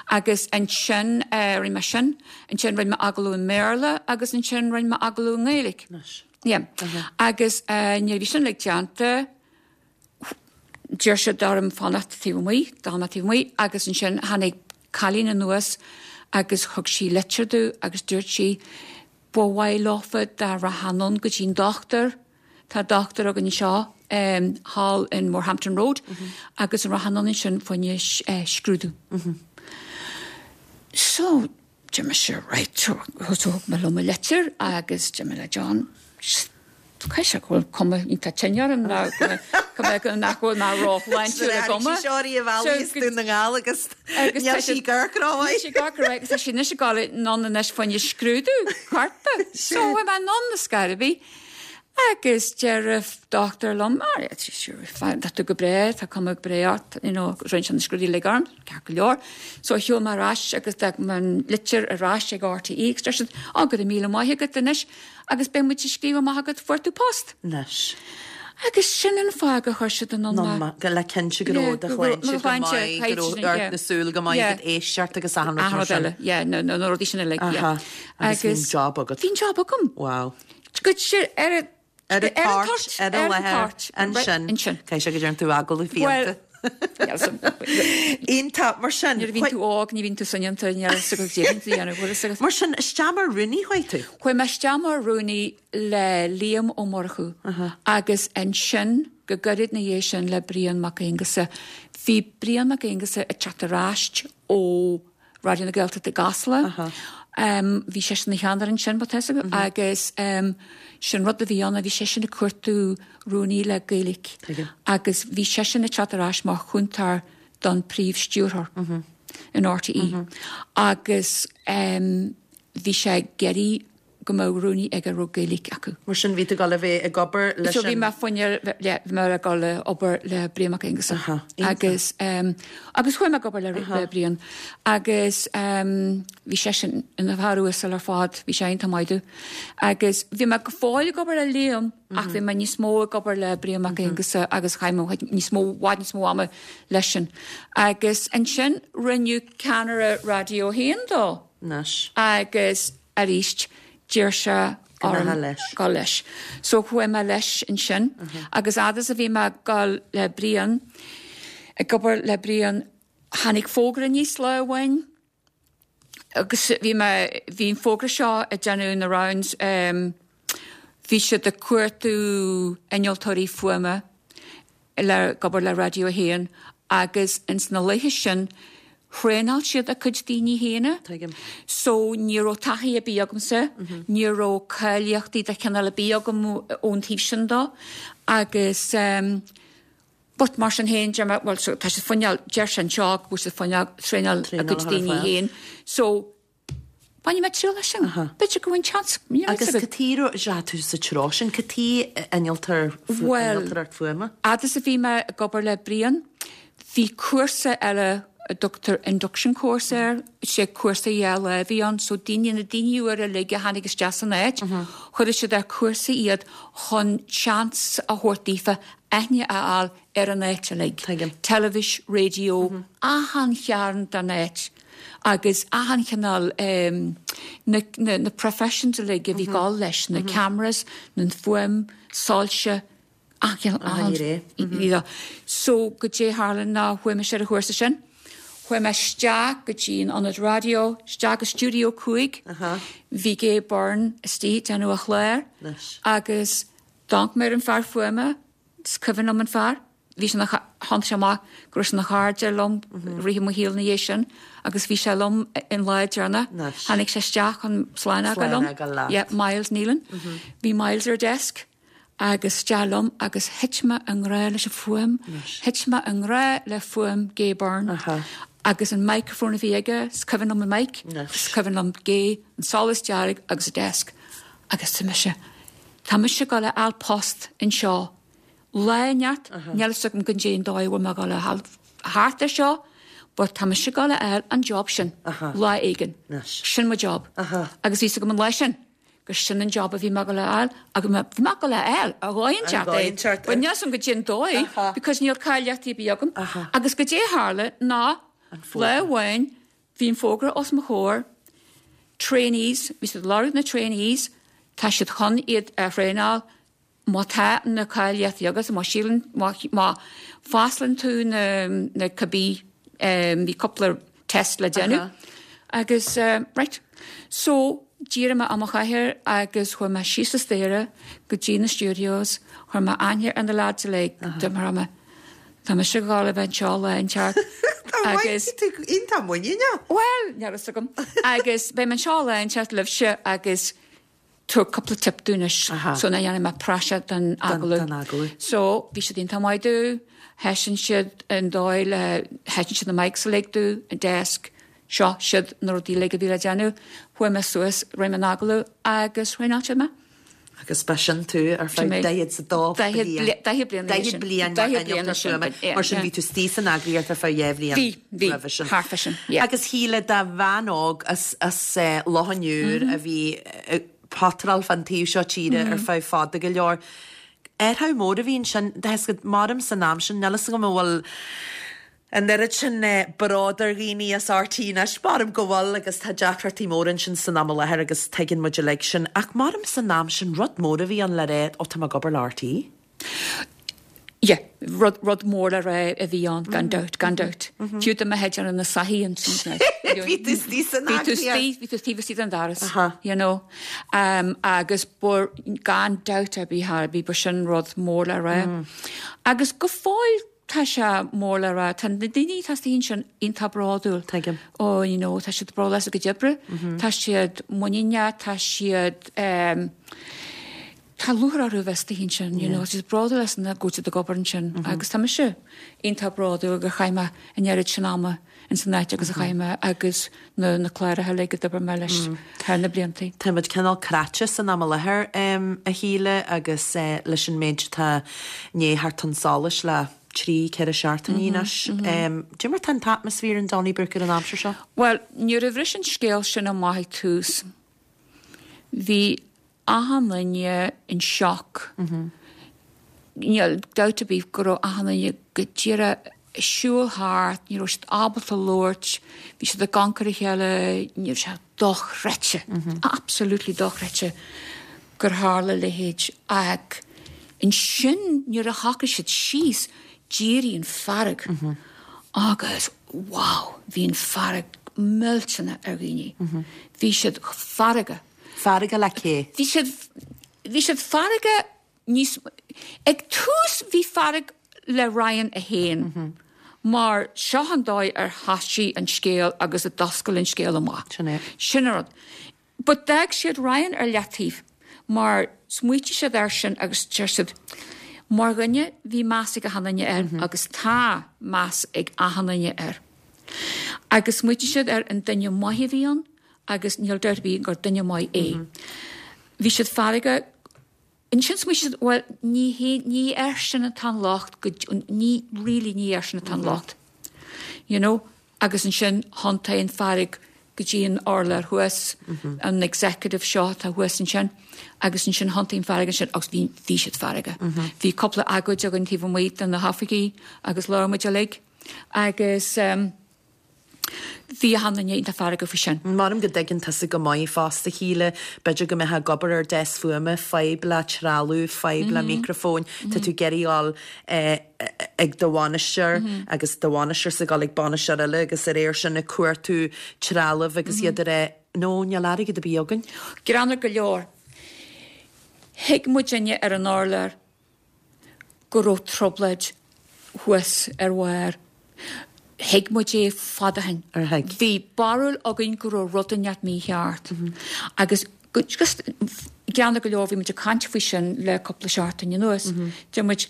Agus ansin rinne mé sin, ansin rinne mé agallamh i mBéarla agus ansin rinne mé agallamh i nGaeilge. Yeah. Agus nuair a bhí sin uilig déanta, d'iarr siad orm fanacht taobh amuigh, d'fhan mé taobh amuigh agus ansin tháinig cailín anuas agus thug sí litir domh agus dúirt sí ba mhaith leofa dá rachfá anonn go dtí an dochtúir, tá dochtúir againn anseo thall in Morehampton Road agus an rachfá anonn ansin fá choinne scrúdú. So Deir mise, right, so thug mé liom an litir agus deir mé le John, caithfidh sé go bhfuil cuma iontach tinn orm nó go mbeadh nach bhfuil mé róshláintiúil i gcuma. Seo í a bhealaí is Dún na nGall agus níl sí ag amharc rómhaith. Níl sí ag amharc rómhaith agus tá sí anois ag dul anonn anois fá choinne scrúdú coirp. So bhí mé anonn ar scor ar bith. Agus deir an dochtúir liom, tá tú go breá, tá cuma breá ort, you know, rinne sé na scrúduithe uilig orm, ceart go leor. So shiúil mé ar ais agus d'fhág mé an litir ar ais ag RTÉ agus deir siad, oh, go raibh míle maith agat anois agus beidh muid ag scríobh amach agat fuair tú post. Anois. Agus sin an fáth gur chuir siad anonn mé. Go le cinnte go raibh do shláinte go maith, go raibh ort na súl go maith, agat éisteacht agus achan rud mar sin. Achan rud eile, yeah, na rudaí sin uilig, yeah. Agus bhí an job agat. Bhí an job agam. Wow. Go dtí ar an Ar an toirt, ar an láthair, ansin. Ansin. Caithfidh sé go dtearn tú agallamh fiánta. Iontach, mar sin. Nuair a bhíonn tú óg, ní bhíonn tú soineanta, ní raibh fhios agat cad é a bhíonn tú a dhéanamh, bhfuil fhios agat. Mar sin, isteach mar rúnaí chuaigh tú? Chuaigh mé isteach mar rúnaí le Liam Ó Murchú agus ansin, go gairid ina dhiaidh sin, le Brian Mac Aonghusa. Bhí Brian Mac Aonghusa ag teacht ar ais ó Raidió na Gaeltachta i gCasla. Bhí seisean ina cheannaire ansin, má tá fhios agat, agus sin rud a bhí ann, bhí seisean ag cuartú rúnaí le Gaeilge agus bhí seisean ag teacht ar ais mar chúntóir don príomh-stiúrthóir in RTÉ agus bhí sé ag iarraidh go mbeadh rúnaí aige a raibh Gaeilge acu. Mar sin, bhí tú ag dul a bheith ag obair leis an. So bhí mé fá choinne, yeah, bhí mé ag dul a obair le Brian Mac Aonghusa. Aha, iontach. Agus, em, agus chuaigh mé ag obair le, le Brian agus, em, bhí seisean ina bhfear uasal ar fad, bhí sé iontach maith domh. Agus bhí mé go fóill ag obair le Liam ach bhí mé níos mó ag obair le Brian Mac Aonghusa agus chaith mé níos mó, bhfad níos mó ama leisean. Agus ansin rinneadh ceannaire Raidió 1 dó. Anois. Agus arís, d'iarr sé orm dul leis. So chuaigh mé leis ansin agus fhad is a bhí mé ag dul le Brian, ag obair le Brian, tháinig fógra aníos lá amháin agus bhí mé, bhí an fógra seo ag déanamh na rounds, bhí siad ag cuartú innealtóirí fuaime le ag obair le Raidió 1 agus ins na laethe sin thraenáil siad a cuid daoine féin. Tuigim. So ní raibh taithí ar bith agamsa, ní raibh cáilíochtaí de chineál ar bith agam ón taobh sin dó agus ehm but mar sin féin deir mé bhuel so tá siad ag coinneáil, deir sé anseo go bhfuil siad ag coinneáil traenáil a gcuid daoine féin so Bainfidh mé triail as sin. B'fhéidir go bhfuil seans. Agus cad chuige a raibh tú sa treo sin? Cad chuige innealtóir, innealtóireacht fuaime? Fhad is a bhí mé ag obair le Brian, bhí cúrsa eile a dtugtar induction course air, sé cúrsa dhá lá a bhí ann, so daoine, na daoine úra uilig a tháinig isteach san áit, chuireadh siad ar cúrsa iad chun seans a thabhairt daofa aithne a fháil ar an áit uilig. Tuigim. Teilifís, raidió, achan chearn den áit agus achan chineál na na professions uilig a bhí ag dul leis, na cameras, na fuaim, soilse, achan Achan ghné. you know. So goidé a tharla ná chuaigh mise ar an chúrsa sin. Chuaigh mé isteach go dtí an ionad raidió, isteach go Studio 5. Bhí Gay Byrne istigh ag déanamh a chlár agus d'amharc mé ar an fear fuaime, Is cuimhin liom an fear. Bhí sé ina, tháinig sé amach go raibh sé ina chairde liom i rith mo shaoil ina dhiaidh sin agus bhí sé liom an lá deireanach. Tháinig sé isteach chun slán a fhágáil liom. Yeah, Myles Nealon. Bhí Myles ar desk. Agus isteach liom agus thit mé i ngrá leis an fuaim, thit mé i ngrá le fuaim Gay Byrne agus an microphone a bhí aige, is cuimhin liom an mic, is cuimhin liom Gay, an solas dearg agus an desk. Agus tá mise, tá mise ag dul a fháil post anseo lá inteacht, níl fhios agam goidé an dóigh a bhfuil mé ag dul a fháil thart ar seo, but tá mise ag dul a fháil an job sin lá éigin. Sin mo job. Agus bhí fhios agam an lá sin. gur sin an job a bhí mé ag dul a fháil agus bhí mé ag dul a fháil ar dhóigh inteacht é but níl 'fhios a'm goidé an dóigh because níl cáilíochtaí ar bith agam agus goidé a tharla ná lá amháin bhí an fógra os mo chomhair trainees bhí siad ag lorg na trainees tá siad chun iad a thraenáil Má tá na cáilíochtaí agat, má síleann, má, má phasálann tú na, na cibé, bhí cúpla test le déanamh agus right. So, d'éirigh mé as mo chathaoir agus chuaigh mé síos an staighre go dtí na studios, chuir mé aithne ar na lads uilig, dúirt mé, tá mise ag gabháil a bheith anseo lá inteacht agus. Tá tú iontach muiníneach. Bhuel, níl fhios agam. Agus beidh mé anseo lá inteacht libhse agus tabhair cúpla tip domh anois so nach ndéanfaidh mé praiseach den agallamh. So bhí siad iontach maith domh, thaispeáin siad an dóigh le, thaispeáin siad na mics uilig domh, an desk, seo, siad na rudaí uilig a bhí le déanamh. Chuaigh mé suas, rinne mé an agallamh agus thraenáil siad mé. Agus b'shin tú ar feadh 42 bliain. 40 bliain. 40 bliain mar innealtóir fuaime. Mar sin bhí tú istigh san eagraíocht ar feadh 2 bhliain. Bhí, bhí, thart fá sin, yeah. Agus Shíle, do bhean óg as as Loch an Iúir a bhí ag potráil fán taobh seo tíre ar feadh fada go leor, athrú mór a bhí ansin, tá fhios agat, maram san am sin, níl fhios agam an bhfuil an oiread sin bród ar dhaoine as RTÉ anois, maram go bhfuil agus tá deacrachtaí móra ansin san am i láthair agus tuigeann muid uilig sin, ach maram san am sin rud mór a bhí ann le rá, ó tá mé ag obair le RTÉ. Yeah, rud, rud mór le rá a bhí ann, gan dabht, gan dabht. Fiú dá mbeifeá ag déanamh na soithí ansin. Bhí tú istigh san Bhí tú istigh, bhí tú taobh istigh den doras, you know. Um, agus ba, gan dabht ar bith ar bith, ba sin rud mór le rá. Agus go fóill tá sé mór le rá, tá na daoine atá istigh ansin iontach bródúil. Tuigim. Oh, you know, tá siad bródúil as a gcuid oibre, tá siad muiníneach, tá siad, um, Tá lúcháir orthu a bheith istigh ansin, you know, tá siad bródúil as an go bhfuil siad ag obair ansin agus tá mise iontach bródúil gur chaith mé an oiread sin ama ins an áit agus a chaith mé agus na na cláracha uilig a d'oibir mé leis thar na bliantaí. Tá muid cineál cráite san am i láthair, a Shíle, agus leis an méid atá i ndiaidh theacht chun solais le trí, ceithre seachtainí anois. Cad é mar tá an t-atmaisféar in Donnybrook ar an aimsir seo? Bhuel, nuair a bhris an scéal sin amach ag tús, bhí achan duine in shock. Níl dabht ar bith go raibh achan duine go díreach ag siúl thart, ní raibh siad ábalta labhairt, bhí siad ag amharc ar a chéile, ní raibh sé dochreidte, absolutely dochreidte gur tharla a leithéid. Ach ansin nuair a shocraigh siad síos, d'éirigh an fearg agus wow, bhí an fearg millteanach ar dhaoine. Bhí siad feargach. Feargach le cé? Bhí siad, bhí siad feargach níos, ag tús bhí fearg le Ryan é féin mar seo an dóigh ar thoisigh an scéal agus a d'oscail an scéal amach. Sin é. Sin an rud. But d'fhág siad Ryan ar leataobh mar smaoitigh siad air sin agus deir siad, mar dhuine bhí meas ag achan duine air agus tá meas ag achan duine air. Agus smaoitigh siad ar an duine maith a bhí ann agus níl dabht ar bith gur duine maith é. Bhí siad feargach. Ansin smaoitigh siad, bhuel, ní hé, ní airsean atá an locht, go, ní, really ní airsean atá an locht. You know? Agus ansin thiontaigh an fearg go dtí an urlár thuas, an executive seo atá thuas ansin, agus ansin thiontaigh an fearg ansin agus bhí, bhí siad feargach. Bhí cúpla agóid againn taobh amuigh de na hoifigí agus labhair muid uilig agus ehm, Bhí achan duine iontach feargach faoi sin. Maram go dtuigeann tusa go maith fosta, Shíle, b'fhéidir go mbeifeá ag obair ar deasc fuaime, fadhb le trealamh, fadhb le micreafóin, tá tú ag iarraidh a dhul ag do bhainisteoir agus do bhainisteoir ag dul ag bainisteoir eile agus de réir sin ag cuartú trealamh agus iad ag rá, no, níl airgead ar bith againn. Greannmhar go leor. Thuig muidinne ar an urlár go raibh trioblóid thuas ar bharr. Thuig muid é fada ó shin. Ar thuig? Bhí barúil againn go raibh rud inteacht mícheart. Agus. Just geanna go leor, bhí muid ag caint faoi sin le cúpla seachtain anuas. Deir muid,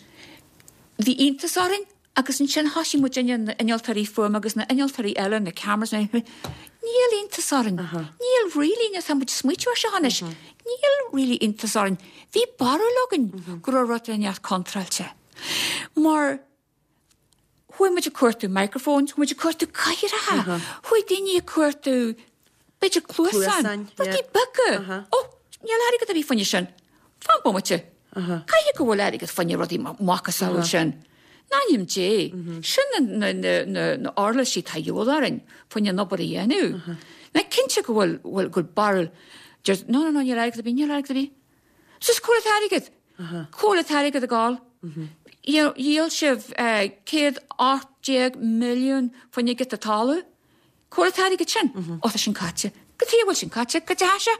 bhí iontas orainn agus ansin thosaigh muidinne, na innealtóirí fuaime agus na innealtóirí eile, na cameras, na, níl iontas orainn. Níl really, tá muid ag smaoitiú ar seo anois, níl really iontas orainn. Bhí barúil againn go raibh rud inteacht contráilte. Mar Chuaigh muid ag cuartú microphones, chuaigh muid ag cuartú cathaoireacha, chuaigh daoine ag cuartú b'fhéidir cluasáin, rudaí beaga. Ó, níl airgead ar bith fá choinne sin. Fan bomaite. Caithfidh go bhfuil airgead fá choinne rudaí macasamhail sin. In ainm Dé, sin na uirlisí atá de dhíobháil orainn fá choinne an obair a dhéanamh. Ná cinnte go bhfuil, go bhfuil barúil, deir, no, no, no, níl airgead ar bith, níl airgead ar bith. Sea, cá bhfuil an t-airgead? Cá bhfuil an t-airgead ag gabháil? Dhíol sibh 118 milliún fá choinne giota talaimh. Cá bhfuil an t-airgead sin? Ó, tá sin caite. Cad chuige a bhfuil sin caite? Cad é sé?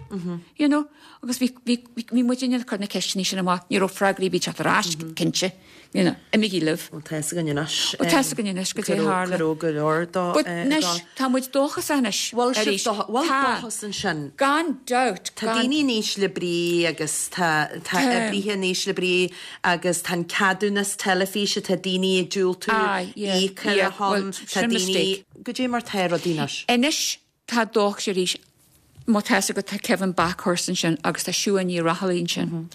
You know? Agus bhí, bhí, bhí muidinne ag cur na ceisteanna sin amach. Ní raibh freagraí ar bith ag teacht ar ais, cinnte. You know, imigí libh. Bhuel, tá fhios againn anois. Bhuel, tá fhios againn anois goidé a tharla. Go raibh go leor dó. But anois, tá muid dóchasach anois. Bhfuil sibh dóchasach? Bhfuil dóchas ansin? Gan dabht. Tá daoine in ísle brí agus tá tá oibrithe in ísle brí agus tá an ceadúnas teilifíse, tá daoine ag diúltú íoc ar a shon, tá daoine. Goidé mar tá rudaí anois? Anois, Tá dóchas arís. Má tá fhios agat tá Kevin Bakhurst ansin agus tá Siún Ní Raghallaigh ansin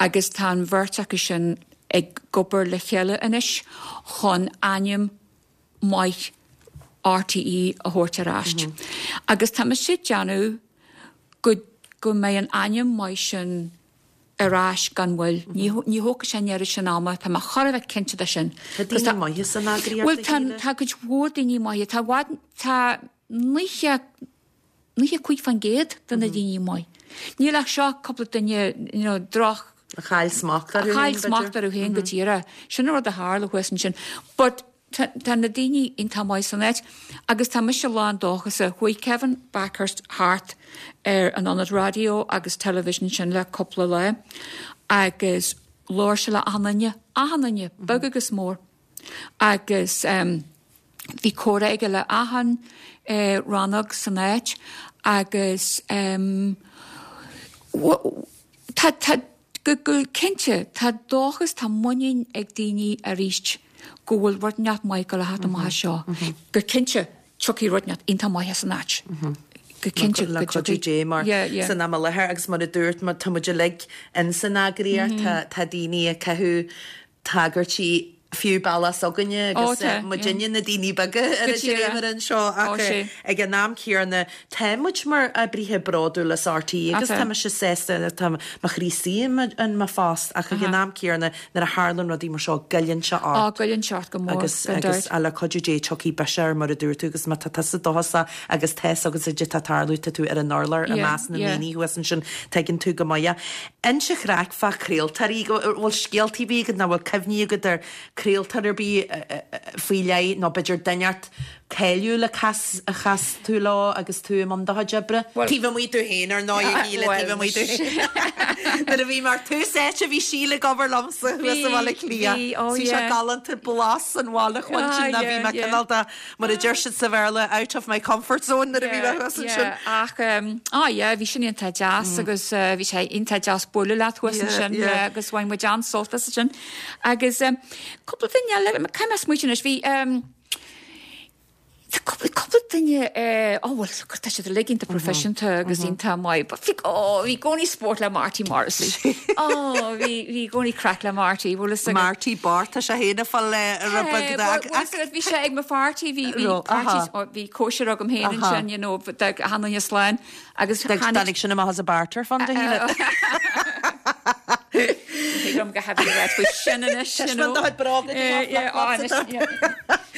agus tá an bheirt acu sin ag obair le chéile anois chun ainm maith RTÉ a thabhairt ar ais. Agus tá mise ag déanamh go go mbeidh an ainm maith sin ar ais gan mhoill. Ní ní thógfaidh sé an oiread sin ama, tá mé chóir a bheith cinnte de sin. Tá daoine maithe san eagraíocht, Bhuel tá tá cuid mhór daoine maithe, tá i bhfad tá 90, 95% de na daoine maith. Níl ach seo cúpla duine, you know, droch. A chaill smacht orthu féin, b'fhéidir. A chaill smacht orthu féin go díreach. Sin an rud a tharla thuas ansin. But tá, tá na daoine iontach maith san áit agus tá mise lán dóchasa. Chuaigh Kevin Bakhurst thart ar an ionad raidió agus television sin le cúpla lá agus labhair sé le achan duine, achan duine, beag agus mór. Agus bhí comhrá aige le achan rannóg san áit agus tá, tá, go, go cinnte, tá dóchas, tá muinín ag daoine arís go bhfuil rud inteacht maith ag gabháil a theacht amach as seo. Go cinnte, tiocfaidh rud inteacht iontach maith as an áit. Go cinnte, go dtiocfaidh. Le cuidiú Dé, mar san am i láthair agus mar a dúirt, tá muid uilig in san eagraíocht, tá daoine ag caitheamh tagairtí fiú bealach s'againne agus muidinne na daoine beaga ar an dréimire anseo ach ag an am céanna tá muid mar oibrithe bródúil as RTÉ agus tá mise sásta tá mo chroí istigh in mo phost ach ag an am céanna nuair a tharlann rudaí mar seo goilleann sé ort. Á goilleann sé ort go mór agus agus le cuidiú Dé tiocfaidh biseach air mar a dúirt tú agus má tá tusa dóchasach agus tá fhios agat goidé tá ag tarlú tá tú ar an urlár i measc na ndaoine thuas ansin tuigeann tú go maith é. Inis an chraic fá chraoltóirí, an bhfuil scéaltaí ar bith agat nó bhfuil cuimhní agat ar chraoltóir ar bith faoi leith nó b'fhéidir duine inteacht cáiliúil a chas a chas tú leo agus tú i mbun do chuid oibre? Taobh amuigh tú féin, ar ndóigh, a Shíle, taobh amuigh tú féin. Nuair a bhí mé ar tús áite bhí Síle ag obair liomsa thuas i mBaile Átha Cliath. Bhí sé galánta blas an bhaile a chluinstin ná bhí mé cineál de Mar a deir siad sa Bhéarla, out of my comfort zone nuair a bhí mé thuas ansin. Yeah, ach, ah yeah, bhí sin iontach deas agus bhí sé iontach deas bualadh leat thuas ansin, yeah, agus bhain muid an-sult as sin. Agus cúpla duine eile, caithfidh mé smaoitiú anois, bhí, tá cúpla, cúpla duine, oh bhuel, tá siad uilig iontach proifisiúnta agus iontach maith, but bhí, oh, bhí i gcónaí spórt le Marty Morrissey. Oh, bhí, bhí i gcónaí craic le Marty, bhfuil fhios agat. Marty Bart, tá sé féin ag fáil rud beag de. Bhuel, bhuel, bhí sé ag mo pháirtí, bhí, bhí parties, oh, bhí cóisir agam féin ansin, you know, d'fhág achan duine slán agus tháinig. Tháinig sin amach as an barter fund, a Shíle. Thig liom go heavy red faoi sin anois, you know. Taispeáin do chuid bróga, do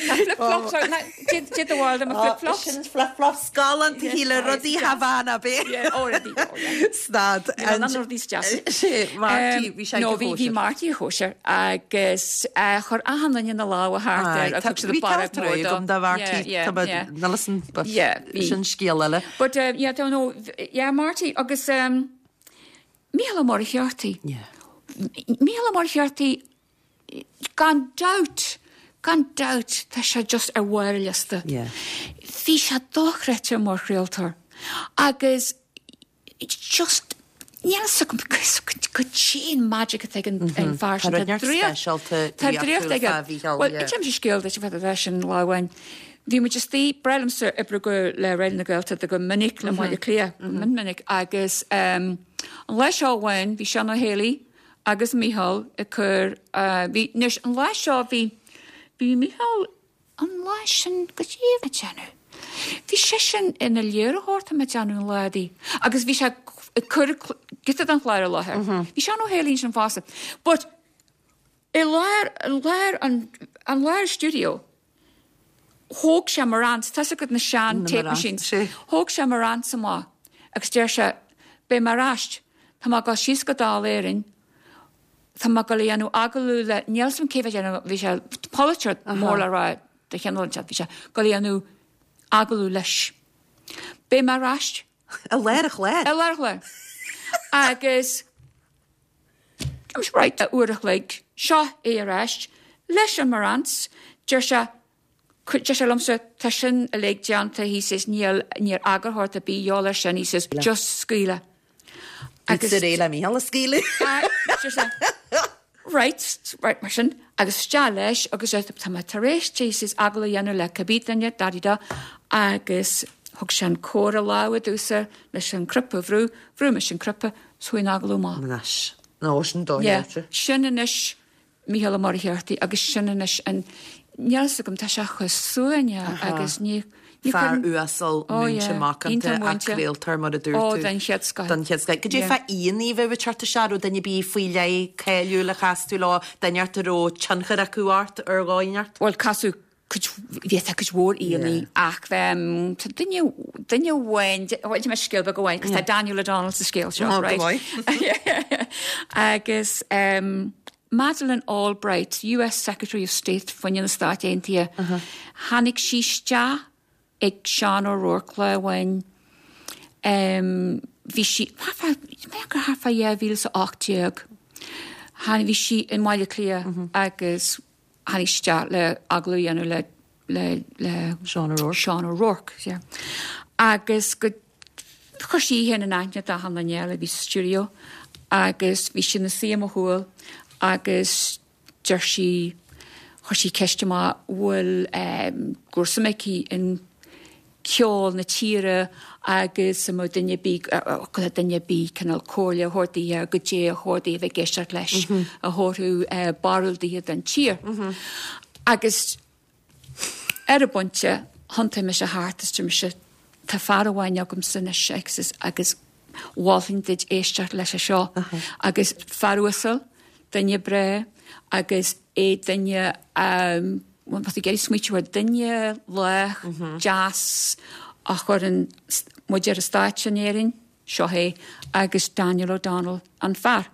flip-flops atá. Flip-flops, did the world of my flip-flops. Sin flip-flops galánta, a Shíle, rudaí Havana, b'é. Yeah, oh, rudaí, oh, yeah. Stad. Níl an rudaí is deas. Sé, Marty, bhí sé ag No, bhí, bhí Marty ag cóisir agus chuir achan duine na lámha thart air agus thug siad Bhí barróg ceart mór dó. agam do Mharty, Yeah, yeah, yeah. Nilsson, but Yeah, bhí. sin scéal eile. But, uh, yeah, don't know, yeah, Marty agus um, Mícheál Ó Muircheartaigh. Yeah. Mícheál Ó Muircheartaigh, gan dabht, gan dabht, tá sé just ar bharr an liosta. Yeah. Bhí sé dochreidte mar chraoltóir agus. just níl a fhios agam goidé an magic atá ag an fear sin. Tá rud inteacht speisialta Tá draíocht aige. fá Mhícheál, Bhuel, yeah. inseoidh mise scéal duit fá dtaobh sin lá amháin. Bhí muid istigh, ba bhreá liomsa oibriú go le Raidió na Gaeltachta go minic le Baile Átha Cliath, go mion minic, agus an lá seo amháin bhí Seán Ó Héalaí agus Mícheál ag cur, bhí, anois an lá seo bhí, bhí Mícheál, An lá sin goidé a bhí ag déanamh. Bhí seisean ina léiritheoir tá mé ag déanamh an lá di agus bhí sé ag cur giota den chlár i láthair. Bhí Seán Ó Héalaí ansin fosta. But i lár, i lár an, an lár stiúideo thóg sé Marantz, tá's agat na sean tape machines, thóg sé Marantz amach agus deir sé beidh mé ar ais, tá mé ag dul síos go Dáil Éireann, Tá mé ag dul a dhéanamh agallamh le, níl 'fhios a'm cé bhí ag déanamh, bhí sé polaiteoir mór le rá de chineál inteacht, bhí sé ag dul a dhéanamh agallamh leis. Beidh mé ar ais. I lár an chláir. I lár an chláir. Agus right, uair a chloig, seo é ar ais leis an Marantz, deir sé, deir sé liomsa, tá sin uilig déanta, he says, níl, níl eagarthóir ar bith de dhíobháil air sin, he says, just scaoil é. Agus de réir le Mícheál a scaoileadh. Deir sé, right, right mar sin, agus isteach leis agus tá mé tar éis he says agallamh a dhéanamh le cibé duine, da-di-da, agus thug sé an comhair i lámha domhsa leis an cnaipe a bhrú, bhrúigh mise an cnaipe, 's chuaigh an agallamh amach. Anois, nó sin dóigh. Sin anois Mícheál Ó Muircheartaigh agus sin anois an, níl 'fhios agam, tá sé chomh suaimhneach agus ní, ní Fear chuireann, uasal, oh múinte yeah, macánta iontach ach múinte. craoltóir mar a dúirt Oh tú. den chéad scoth. Den chéad scoth. Goidé Yeah. fá aíonna a bheith ag teacht isteach, raibh duine ar bith faoi leith cáiliúil a chas tú leo, duine ort a raibh tionchar acu ort ar dhóigh inteacht? Bhuel casadh cuid, bhí tá cuid mhór aíonna ach bheith, tá duine, duine amháin, bhuel inseoidh mé scéal beag amháin, 'cause tá Daniel O'Donnell sa scéal seo, Oh, go right? maith. Agus ehm Madeleine Albright, US Secretary of State fá choinne na Stáit Aontaithe, tháinig sí isteach ag Seán O'Rourke lá amháin. Bhí sí, thart fá, b'fhéidir gur thart fá 2018, tháinig, bhí sí i mBaile Átha Cliath agus tháinig sí isteach le agallamh a dhéanamh le, le, le Seán O'Rourke. Seán O'Rourke, yeah. Agus go, chuir sí í féin in aithne d'achan duine eile a bhí sa stiúideo agus bhí sí ina suí i mo chúl agus deir sí, chuir sí ceist amach bhfuil go raibh suim aici in ceol na tíre agus an mbeadh duine ar bith, go raibh duine ar bith cineál comhairle a thabhairt daoithe ar goidé a chóir daoithe a bheith ag éisteacht leis a thabharfadh barúil daoithe don tír. Agus ar an bpointe, thiontaigh mise thart is deir mise, tá fear amháin agamsa anois agus agus mholfainn duit éisteacht leis seo agus fear uasal, duine breá agus é duine bhuel tá tú ag iarraidh smaoitiú ar duine lách, deas a chuireann muid ar an stáitse in Éirinn, seo é agus Daniel O'Donnell an fear.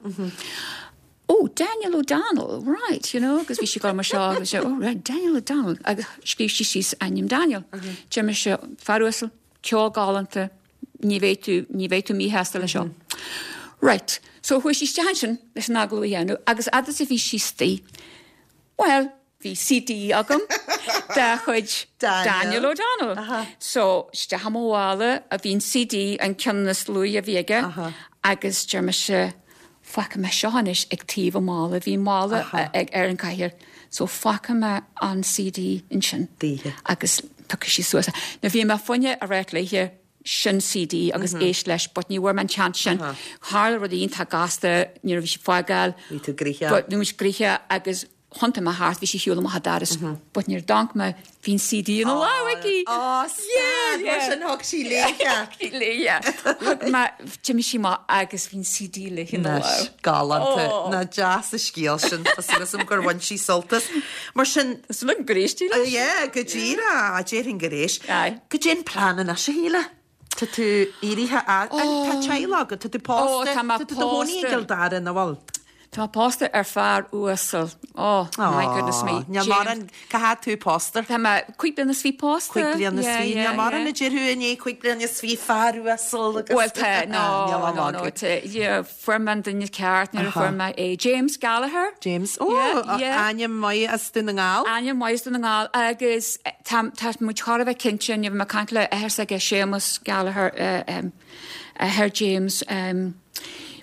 Oh, Daniel O'Donnell, right, you know, agus bhí sí ag gabháil mar seo agus oh, right, Daniel O'Donnell, agus scríobh sí síos ainm Daniel. Deir mise, fear uasal, ceol galánta, ní bheidh tú, ní bheidh tú míshásta leis seo. Right, so chuaigh sí isteach ansin leis an agallamh a dhéanamh agus fhad is a bhí sí istigh, bhuel, bhí CD agam de chuid Daniel O'Donnell. So isteach i mo mhála a bhí an CD, an ceann is luaithe a bhí aige agus deir mise, fágfaidh mé seo anois ag taobh an mhála, bhí mála ag ar an cathaoir, so fágfaidh mé an CD ansin agus piocfaidh sí suas é. Now bhí mé fá choinne a ráit léithe sin CD agus éist leis but ní bhfuair mé an chance sin. Tharla rud iontach gasta nuair a bhí sí ag fágáil. Bhí tú gnoitheach. But bhí muid gnoitheach agus thiontaigh mé thart, bhí sí ar shiúl amach an doras but nuair a d'amharc mé bhí an CD ina lámh aici! Á, stad! Mar sin thug sí léi é. Thug sí léi é. Thug mé, d'imigh sí amach agus bhí an CD léi ina Anois, lámh. galánta. Nach deas an scéal sin. Tá súil agam gur bhain sí sult as. Mar sin. Tá súil agam gur éist sí leis. Yeah, go díreach. Déarfainn gur éist. Aye. Goidé an plean anois, a Shíle? Tá tú éirithe as. Tá teaghlach agat, tá tú pósta. Ó, tá mé Tá tú i do chónaí i pósta. gCill Dara, nach bhfuil? Tá mé pósta ar fear uasal. Oh, my goodness me. Níl mórán, cá fhad tú pósta? Tá mé cuig bliana is fiche pósta. Cuig bliana is fiche. Níl mórán a déarfadh i ndiaidh cuig bliana is fiche fear uasal agus. Bhuel tá, no, no, no, yeah, fuair mé an duine ceart nuair a fuair mé é. James Gallagher. James, oh, ainm maith as Dún na nGall. Ainm maith as Dún na nGall agus tá, tá muid chóir a bheith cinnte, bhí mé ag caint le athair s'aige Séamus Gallagher, athair James,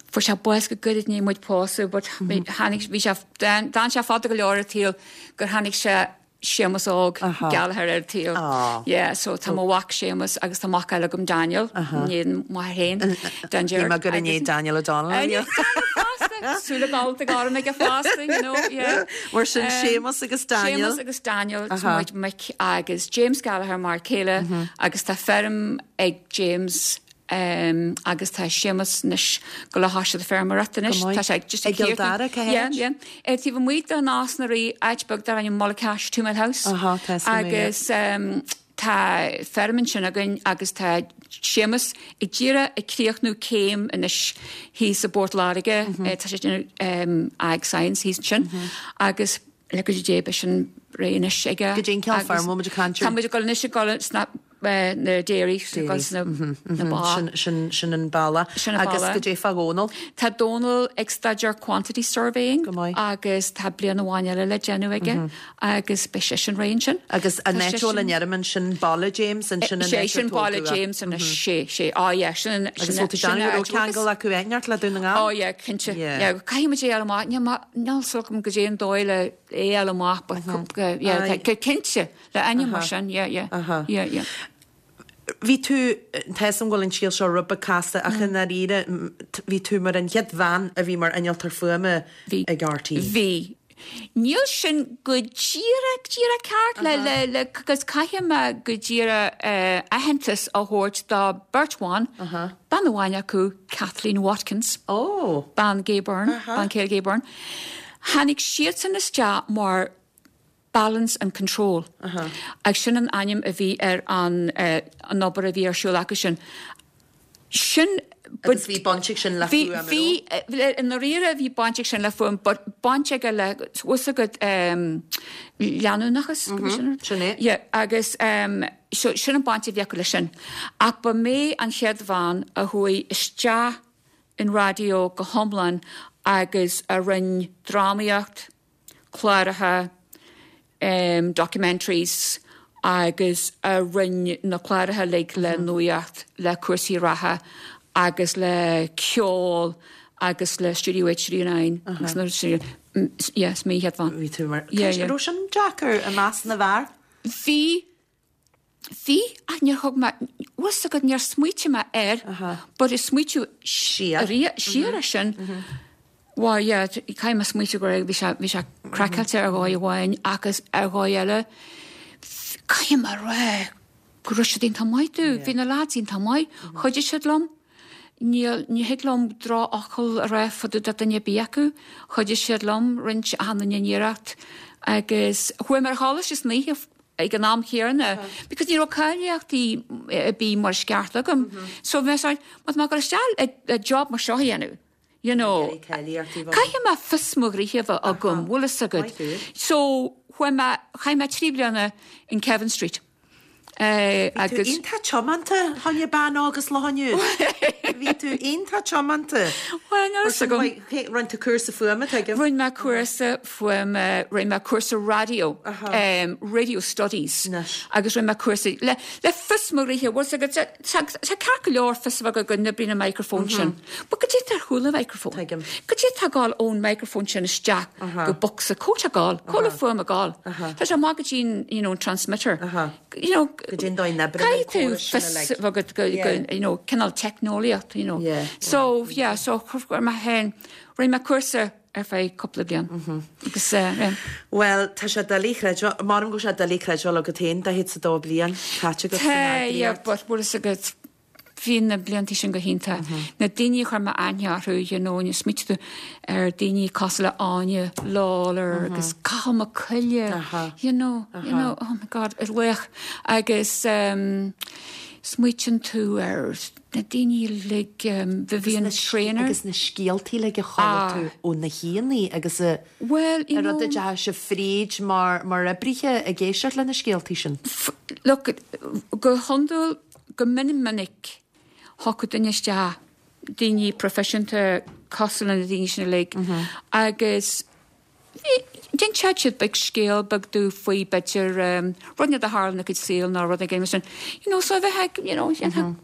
Fuair sé bás go gairid i ndiaidh muid pósadh but tháinig, bhí sé, d'fhan sé fada go leor ar an tsaol gur tháinig sé Séamus óg Gallagher ar an tsaol. Yeah, so tá mo mhac Séamus agus tá mac eile agam Daniel, i ndiaidh m'athar féin, Dan Shíl mé gur i ndiaidh Daniel O'Donnell a bhí. Daniel fosta! Súile gallta gorm aige fosta, you know, yeah. Mar sin Séamus agus Daniel. Séamus agus Daniel, tá muid mic agus James Gallagher mar chéile agus tá feirm ag James agus tá Séamus anois ag gabháil a thoiseacht feirmeoireacht anois. Go maith. Tá sé just ag ag I gCill Dara, cá Yeah, háit? yeah. Taobh amuigh de Nás na Rí, áit beag darb ainm Mullaghcash, Two Mile House. Aha, tá 'fhios agam é, yeah. Agus tá feirm ansin againn agus tá Séamus ag díreach ag críochnú céim anois thíos i bPort Láirge. Tá sé ag déanamh Ag Science thíos ansin. Agus le cuidiú Dé beidh sin réidh anois aige. Goidé an cineál feirm a bhfuil muid ag caint air? Tá muid ag dul anois ag dul sna na dairy, ag dul sna na ba. Sin sin sin an bealach. Sin an Agus bealach. goidé fá Dhónal? Tá Dónal ag staidéar quantity surveying Go maith. agus tá bliain amháin eile le déanamh aige agus beidh seisean réidh ansin. Agus an Tá áit a bhfuil seisean- an fheirm ansin baile James, ansin an Sé áit ar sin baile tógadh é. James anois, sé, sé. Á yeah, sin an Agus sin bhfuil tú sin déanamh an go raibh áit agus- ceangal acu inteacht le Dún na nGall? Ó yeah, cinnte. Yeah. Yeah, caithfidh muid é a fháil amach. Níl mé, níl 'fhios agam goidé an dóigh le é a fháil amach but yeah, Aye. tá cinnte le ainm mar sin, yeah, yeah. Yeah, yeah. Bhí tú, tá 'fhios a'm go bhfuil an scéal seo rud beag casta ach i ndáiríre bhí tú mar an chéad bhean a bhí mar innealtóir fuaime Bhí. ag RTÉ. Bhí. Níl sin go díreach, díreach ceart le, le, le, agus caithfidh mé go díreach aitheantas a thabhairt do beirt bhan, bean amháin acu, Kathleen Watkins, bean Gay Byrne, bean chéile Gay Byrne. Tháinig siadsan isteach mar Balance and Control agus sin an ainm a bhí ar an, an obair a bhí ar siúl acu sin. Sin. Agus bhí baint ag sin le fuaim, an Bhí, bhí, i ndáiríre bhí baint ag sin le fuaim, but baint aige le, bhfuil 'fhios agat, leanúnachas, go sin Sin é. Yeah, agus so sin an baint a bhí acu leis sin. Ach ba mé an chéad bhean a chuaigh isteach in raidió go hiomlán agus a rinne drámaíocht, cláracha, documentaries agus a rinne na cláracha uilig le nuacht, le cúrsaí reatha agus le ceol agus le Studio 8, Studio 9 agus na yeah, is mé an chéad bhean. Bhí tú mar. Yeah, yeah. Raibh sin deacair i measc na bhfear? Bhí, Bhí, ach níor thug mé, bhfuil 'fhios agat, níor smaoitigh mé air, but ag smaoitiú Siar. siar ar sin, bhuel, yeah, caithfidh mé smaoitiú go raibh, bhí sé, bhí sé craiceáilte ar dhóigh amháin agus ar dhóigh eile, caithfidh mé a rá go raibh siad iontach maith domh, bhí na lads iontach maith, chuidigh siad liom, níl, ní thig liom drochfhocal a rá fá dtaobh de duine ar bith acu, chuidigh siad liom, rinne achan duine iarracht agus chuaigh mé ar choláiste san oíche ag an am chéanna because ní raibh cáilíochtaí ar bith mar is ceart agam. So bhí mé sort, má tá mé ag dul isteach le job mar seo a dhéanamh, you know, caithfidh mé fios mo ghnoithe a bheith agam, bhfuil fhios agat. So chuaigh mé, chaith mé 3 bliana in Kevin Street. Bhí tú iontach tiomanta, a dhuine bean óg is lá inniu. Bhí tú iontach tiomanta. Bhuel, níl fhios agam. Rinne tú cúrsa fuaime, tuigim. Rinne mé cúrsa fuaime, rinne mé cúrsa raidió, radio studies, agus rinne mé cúrsa le le fios mo ghnoithe, bhfuil fhios agat, tá ceart go leor fios a bheith agat go n-oibríonn an microphone sin, but goidé atá ar chúl an microphone? Tuigim. Goidé atá ag gabháil ón microphone sin isteach go bocsa, cá bhfuil sé ag gabháil, cá bhfuil an fuaim ag gabháil? Tá sé amach go dtí an, you know, an transmitter. You know, Goidé an dóigh a n-oibríonn an caithfidh tú córas sin fios uilig. a bheith agat go, go, you know, cineál teicneolaíocht, you know. So, yeah, so chuir mé féin, rinne mé cúrsa ar feadh cúpla bliain. Agus eh. Bhuel, tá sé doiligh a chreidbheáil, m'anam go bhfuil sé doiligh a chreidbheáil agat féin, 42 bliain caite agat san Tá, yeah, eagraíocht. but bhfuil fhios agat, bhí na blianta sin go hiontach. Na daoine a chuir mé aithne orthu, you know, nuair a smaoitigh tú ar daoine cosúil le Áine Lawlor agus Cathal Mac Coille, you know, you know, oh my God, is laoch. Agus ehm. Smaoitíonn tú ar na daoine uilig, Vivian Traynor. Agus na scéaltaí uilig a chuala tú ó na haíonna agus a Bhuel, you know. An rud a deachaigh sibh fríd mar mar oibrithe ag éisteacht le na scéaltaí sin. Look, go hiondúil, go mion minic, thiocfadh duine isteach, daoine proifisiúnta cosúil le na daoine sin uilig, agus D'inseodh siad beag scéal beag domh faoi b'fhéidir rud inteacht a tharla ina gcuid saoil nó rud éigin mar sin. You know, so a bheith ag, you know, dhéanfá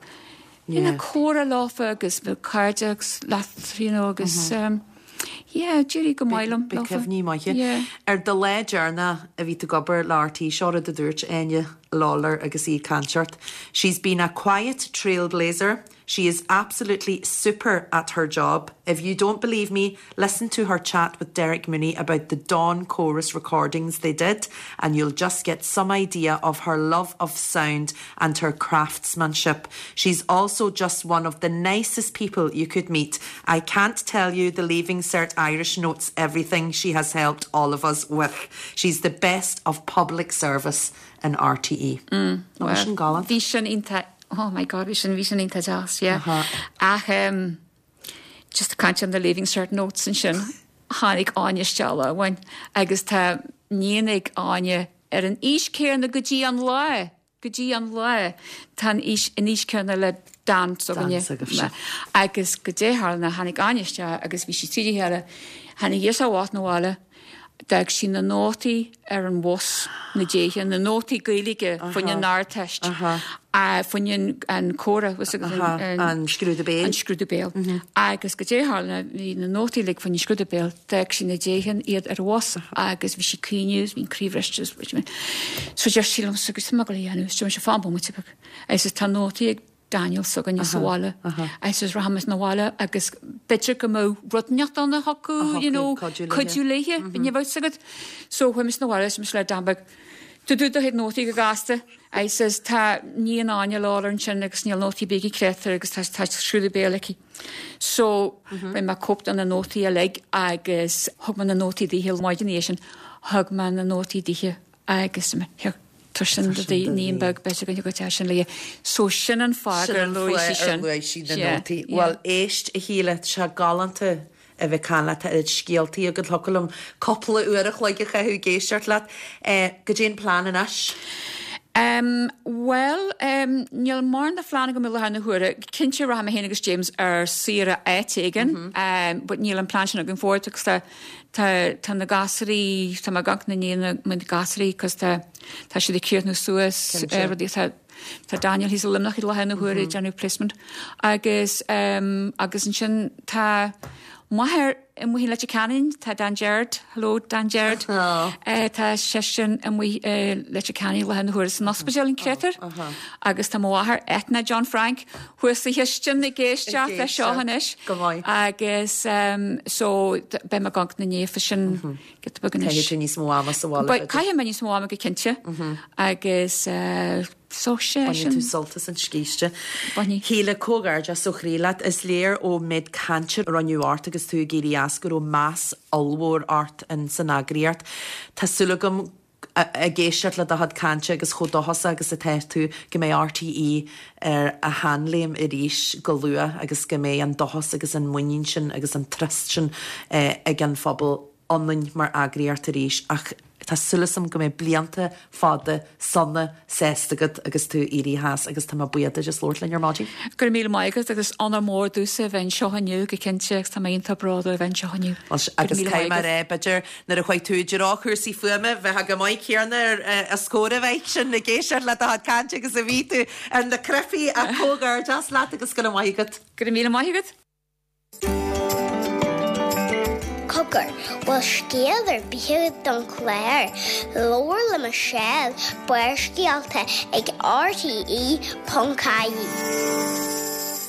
dhéanfá comhrá leofa agus bheadh cairdeas leat, you know, agus yeah, d'éirigh go maith liom Beidh leofa. cuimhní maithe. Yeah. Ar do lá deireanach a bhí tú ag obair le RTÉ, seo rud a dúirt Áine Lawlor agus í ag caint ort, She's been a quiet trailblazer, She is absolutely super at her job. If you don't believe me, listen to her chat with Derek Mooney about the Dawn Chorus recordings they did and you'll just get some idea of her love of sound and her craftsmanship. She's also just one of the nicest people you could meet. I can't tell you the Leaving Cert Irish notes everything she has helped all of us with. She's the best of public service in RTÉ. Mm, well, sin galánta. Bhí sin iontach Oh my God, bhí sin, bhí sin iontach deas, yeah. Ach em, just ag caint ar na Leaving Cert notes ansin, tháinig Áine isteach lá amháin agus tá níon ag Áine ar an aois céanna go dtí an lá, go dtí an lá, tá an aois, an aois céanna le Dan s'againne. Dan s'agaibhse. Agus goidé a tharla ná tháinig Áine isteach agus bhí sí tríd a chéile, tháinig girseach bhocht 'na bhaile, D'fhág sí na nótaí ar an bhus na déithe, na nótaí Gaeilge fá choinne an Ardteist, fá choinne an comhrá, an scrúdú béil. An scrúdú béil. Agus goidé a tharla, bhí na nótaí uilig fá choinne an scrúdú béil, d'fhág sí na déithe iad ar an bhus agus bhí sí ag caoineadh, bhí an croí bhriste. So deir sí liomsa, goidé tá mé ag dul a dhéanamh, is dúirt mise, fan bomaite beag. Agus tá nótaí ag Daniel s'againne sa bhaile agus rachaidh mise 'na bhaile agus b'fhéidir go mbeadh rud inteacht ann a thiocfadh, you know, cuidiú léithe, ní bheadh fhios agat. So chuaigh mise 'na bhaile is mise le Dan beag, tabhair do do chuid nótaí go gasta. I says tá níon Áine Lawlor ansin agus níl nótaí ar bith aici creidtear agus tá tá scrúdú béil aici. So rinne mé cóip de na nótaí uilig agus thug mé na nótaí daoithe maidin ina dhiaidh sin, thug mé na nótaí daoithe Agus tabhair sin do d'iníon beag b'fhéidir go dtiocfadh sin léi. So sin an fáth gur luaigh sí sin. Sin an fáth ar luaigh sí na nótaí. Bhuel, éist, a Shíle, tá sé galánta a bheith ag caint leat, tá oiread scéaltaí agat, thiocfadh liom cúpla uair a chloig a chaitheamh ag éisteacht leat. Goidé an plean anois? Bhuel, níl mórán de phlean agam i láthair na huaire. Cinnte rachaidh mé féin agus James ar saoire áit éigin, but níl an plean sin againn fós agus tá Tá, tá na gasraí, tá mé ag amharc i ndiaidh na gasraí cos tá, tá siad ag críochnú suas rudaí, tá, tá Daniel thíos i Luimneach i láthair na huaire ag déanamh placement agus ehm agus ansin tá m'athair amuigh i Leitir Ceanainn, tá Dan Gerard, hello Dan Gerard, eh tá seisean amuigh i Leitir Ceanainn i láthair na huaire san ospidéal an créatúr agus tá mo mháthair Eithne John Frank thuas sa chistin ag éisteacht leis seo anois. Go maith. Agus so beidh mé ag amharc ina ndiaidh sin giota beag anois. Caithfidh tú níos mó ama sa bhaile. Beidh, caithfidh mé níos mó ama go cinnte. Agus so sé sin. Bainfidh tú sult as an scíste. Bainfidh. Shíle, comhghairdeas ó chroí leat. Is léir ón méid cainte a rinneadh ort agus tú ag éirí as go raibh meas ollmhór ort in san eagraíocht. Tá súil agam ag éisteacht le do chuid cainte agus chomh dóchasach agus atá tú go mbeidh RTÉ ar a sheanléim arís go luath agus go mbeidh an dóchas agus an muinín sin agus an trust sin ag an phobal ionainn mar eagraíocht arís ach tá súil agam go mbeidh blianta fada sona sásta agat agus tú ag éirí as agus tá mé buíoch duit as labhairt linn ar maidin. Go raibh míle maith agat agus onóir mór domhsa a bheith anseo inniu go cinnte agus tá mé iontach bródúil a bheith anseo inniu. Agus caithfidh mé a rá, b'fhéidir, nuair a chuaigh tú i dtreo chúrsaí fuaime, bheifeá go maith céanna ar os comhair a bheith sin ag éisteacht le do chuid cainte agus a bhí tú ar na cnaipí ach comhghairdeas leat agus go raibh maith agat. Go raibh míle maith agat. Cogar, bhfuil scéal ar bith agat don chlár? Labhair le Michelle, Barrscéalta ag RTE.ie.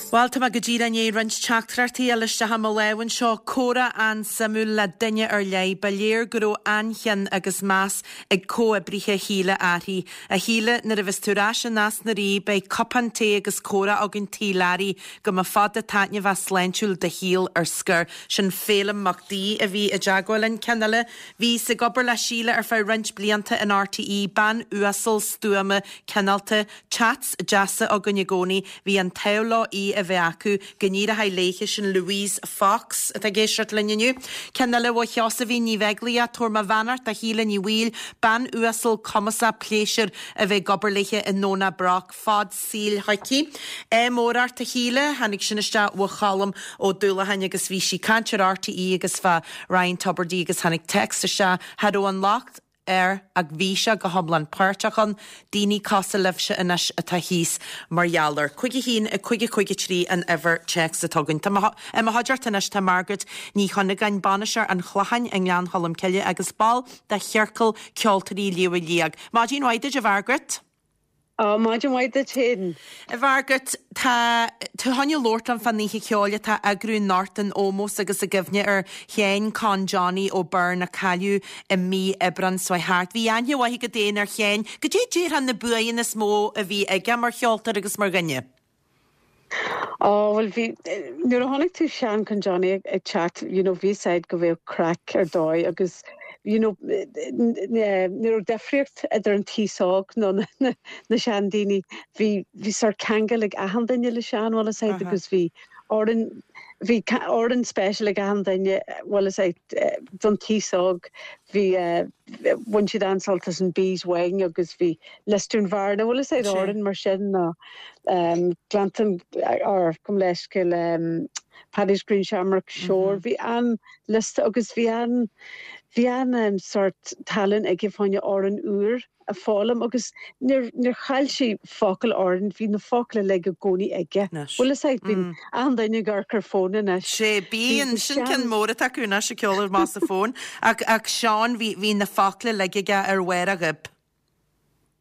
Bhuel, tá mé go díreach i ndiaidh roinnt teachtaireachtaí a fháil isteach i mo lámh anseo. Comhrá an-suimiúil le duine ar leith. Ba léir go raibh an-chion agus meas ag comhoibrithe Shíle uirthi. A Shíle, nuair a bheas tú ar ais i Nás na Rí, beidh cupán tae agus comhrá againn Tigh Learaí go mba fada taitneamhach sláintiúil do shaol ar scor. Sin Féilim Mac Daoi a bhí i dteagmháil linn. Ceann eile, Bhíos ag obair le Síle ar feadh roinnt blianta in RTÉ, bean uasal, stuama, cineálta, Chats deasa againn i gcónaí, bhí an t-ádh leo í a bheith acu, go n-éireoidh léithe, sin Louise Fox atá ag éisteacht linn inniu. Ceann eile ó Sheosaimhín Ní Bheaglaoich, tabhair mo bheannacht do Shíle Ní Bhaoill, bean uasal, cumasach, pléisiúr a bheith ag obair léithe i nDomhnach Broc, fad saoil chuici. Ádh mór ort a Shíle, tháinig sin isteach ó Cholm Ó Dúlacháin agus bhí sí ag caint ar RTÉ agus fá Ryan Tubridy agus tháinig text isteach, cha raibh an locht air ach bhí sé go hiomlán páirteach ann, daoine cosúil libhse anois atá thíos mar gheall air. 5 1 5 5 3 an uimhir téacs atá againn. Tá i mo chuideachta anois tá Margaret Ní Chuinneagáin, bainisteoir an Chlocháin i nGleann Cholm Cille agus ball de Chiorcal Ceoltóirí Shliabh Liag. Maidin mhaith duit a Mhargaret. Á, maidin mhaith duit féin. A Mhargaret, tá tú chun labhairt liom fán oíche cheoil atá á eagrú anocht in ómós agus i gcuimhne ar Sheán Con Johnny O'Byrne a cailleadh i mí Aibreáin seo thart. Bhí aithne mhaith agat féin ar Sheán. Goidé déarfá na buanna is mó a bhí aige mar cheoltóir agus mar dhuine? Á, bhuel bhí, nuair a chonaic tú Seán Con Johnny ag teacht, you know, bhí 'fhios a'd go bheadh craic ar dóigh agus, you know, ní raibh difríocht idir an t-aos óg nó na seandaoine. Bhí, bhí sórt ceangal ag achan duine le Seán, bhfuil 'fhios a'd, agus bhí amhrán, bhí amhrán special ag achan duine, bhfuil 'fhios a'd, don t-aos óg, bhí, bhain siad an-sult as an Bee's Wing agus bhí Lisdoonvarna, bhfuil 'fhios a'd, amhrán mar sin nó Gleanntan or gabh mo leithscéal Paddy's Green Shamrock Shore, bhí an-liosta agus bhí an, bhí an sórt tallann aige fá choinne amhrán úr a foghlaim agus níor, níor chaill sé focal amhráin, bhí na focla uilig i gcónaí aige. Bhfuil 'fhios a'd, bíonn achan duine ag amharc ar fón anois. Sé, bíonn, sin ceann mór atá acu anois ag ceol amach as a fón. Ach, ach Seán, bhí, bhí na focla uilig aige ar bharr a ghoib.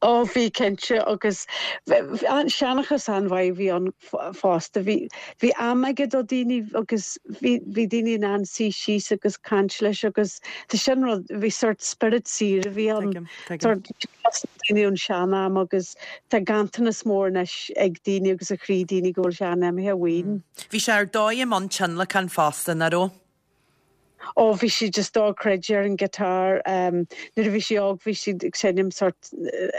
Ó bhí cinnte agus seanchas an-mhaith a bhí ann fosta. Bhí, bhí am aige do daoine agus bhí, bhí daoine in ann suí síos agus caint leis agus tá sin rud, bhí sórt spiorad saor a bhí ann. Tuigim, tuigim. Sórt daoine ón sean-am agus tá ganntanas mór anois ag daoine agus i chroí daoine go bhfuil Seán imithe uainn. Bhí sé ar dóigh i mbun tionlacan fosta, nach raibh? Ó bhí sé just dochreidte ar an guitar. Nuair a bhí sé óg bhí sé ag seinm sort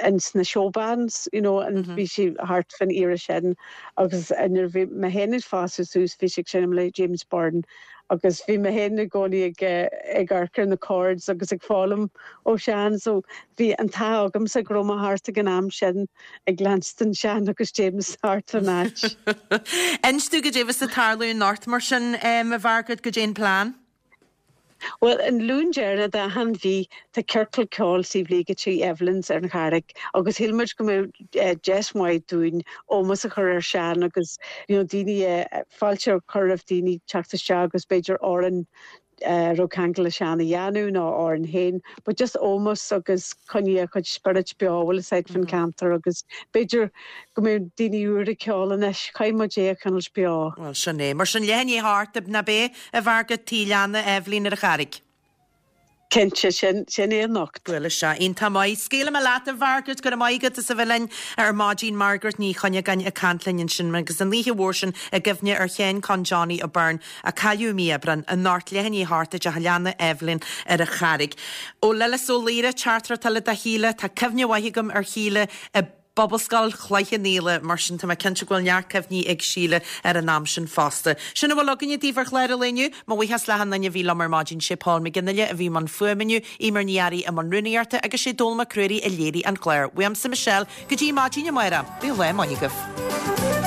ins na show bands, you know, and bhí sé thart fán era sin agus nuair a bhí mé féin ag fás suas bhí sé ag seinm le James Byrne agus bhí mé féin i gcónaí ag ag amharc ar na chords agus ag foghlaim ó Sheán so bhí an t-ádh agamsa go raibh mé thart ag an am sin ag leanstan Seán agus James thart fán áit. Inis domh goidé bheas ag tarlú anocht mar sin, a Mhargaret, goidé an plean? Bhuel, an Luan deireanach d'achan mhí tá ciorcal ceoil Sliabh Liag i dTigh Evelyn's ar an Charraig agus shíl muid go mbeadh deis mhaith dúinn ómós a chur ar Seán agus you know daoine fáilte a chur roimh daoine teacht isteach agus b'fhéidir amhrán a raibh ceangal le Seán a dhéanamh nó a amhrán féin, but just ómós agus coinneáil a chuid spiorad beo, bhfuil fhios a'd, fán ceantar agus b'fhéidir go mbeadh daoine úr ag ceol anois, caithfidh muid é a choinneáilt beo. Bhuel, sin é. Mar sin, leath i ndiaidh a hocht, ná b'é, a Mhargaret, Tigh Leanna Eibhlín ar an Charraig. Cinnte, sin, sin é anocht. Bhuel, is ea. Iontach maith. Scaoilfidh mé leat, a Mhargaret, go raibh maith agat as a bheith linn ar maidin. Margaret Ní Chuinneagáin ag caint linn ansin agus an oíche mhór sin i gcuimhne ar Sheán Con Johnny O'Byrne a cailleadh i mí Aibreáin, anocht, leath i ndiaidh a hocht i dTeach Leanna Eibhlín ar an Charraig. Ó Lillis Ó Laoire, teachtaireacht eile do Shíle. Tá cuimhne mhaith agam ar Shíle i bPobalscoil Chloich Cheann Fhaola, mar sin tá mé cinnte go bhfuil neart cuimhní ag Síle ar an am sin fosta. Sin a bhfuil againne daoibh ar chlár an lae inniu. Mo bhuíochas le achan duine a bhí liom ar maidin, sé Paul McGinley a bhí i mbun fuaime inniu, Eimear Ní Fhearraigh i mbun rúnaíochta agus sé Dónal Mac Ruairí a léirigh an clár. Uaimse Michelle, go dtí maidin amárach, bíodh lá maith agaibh.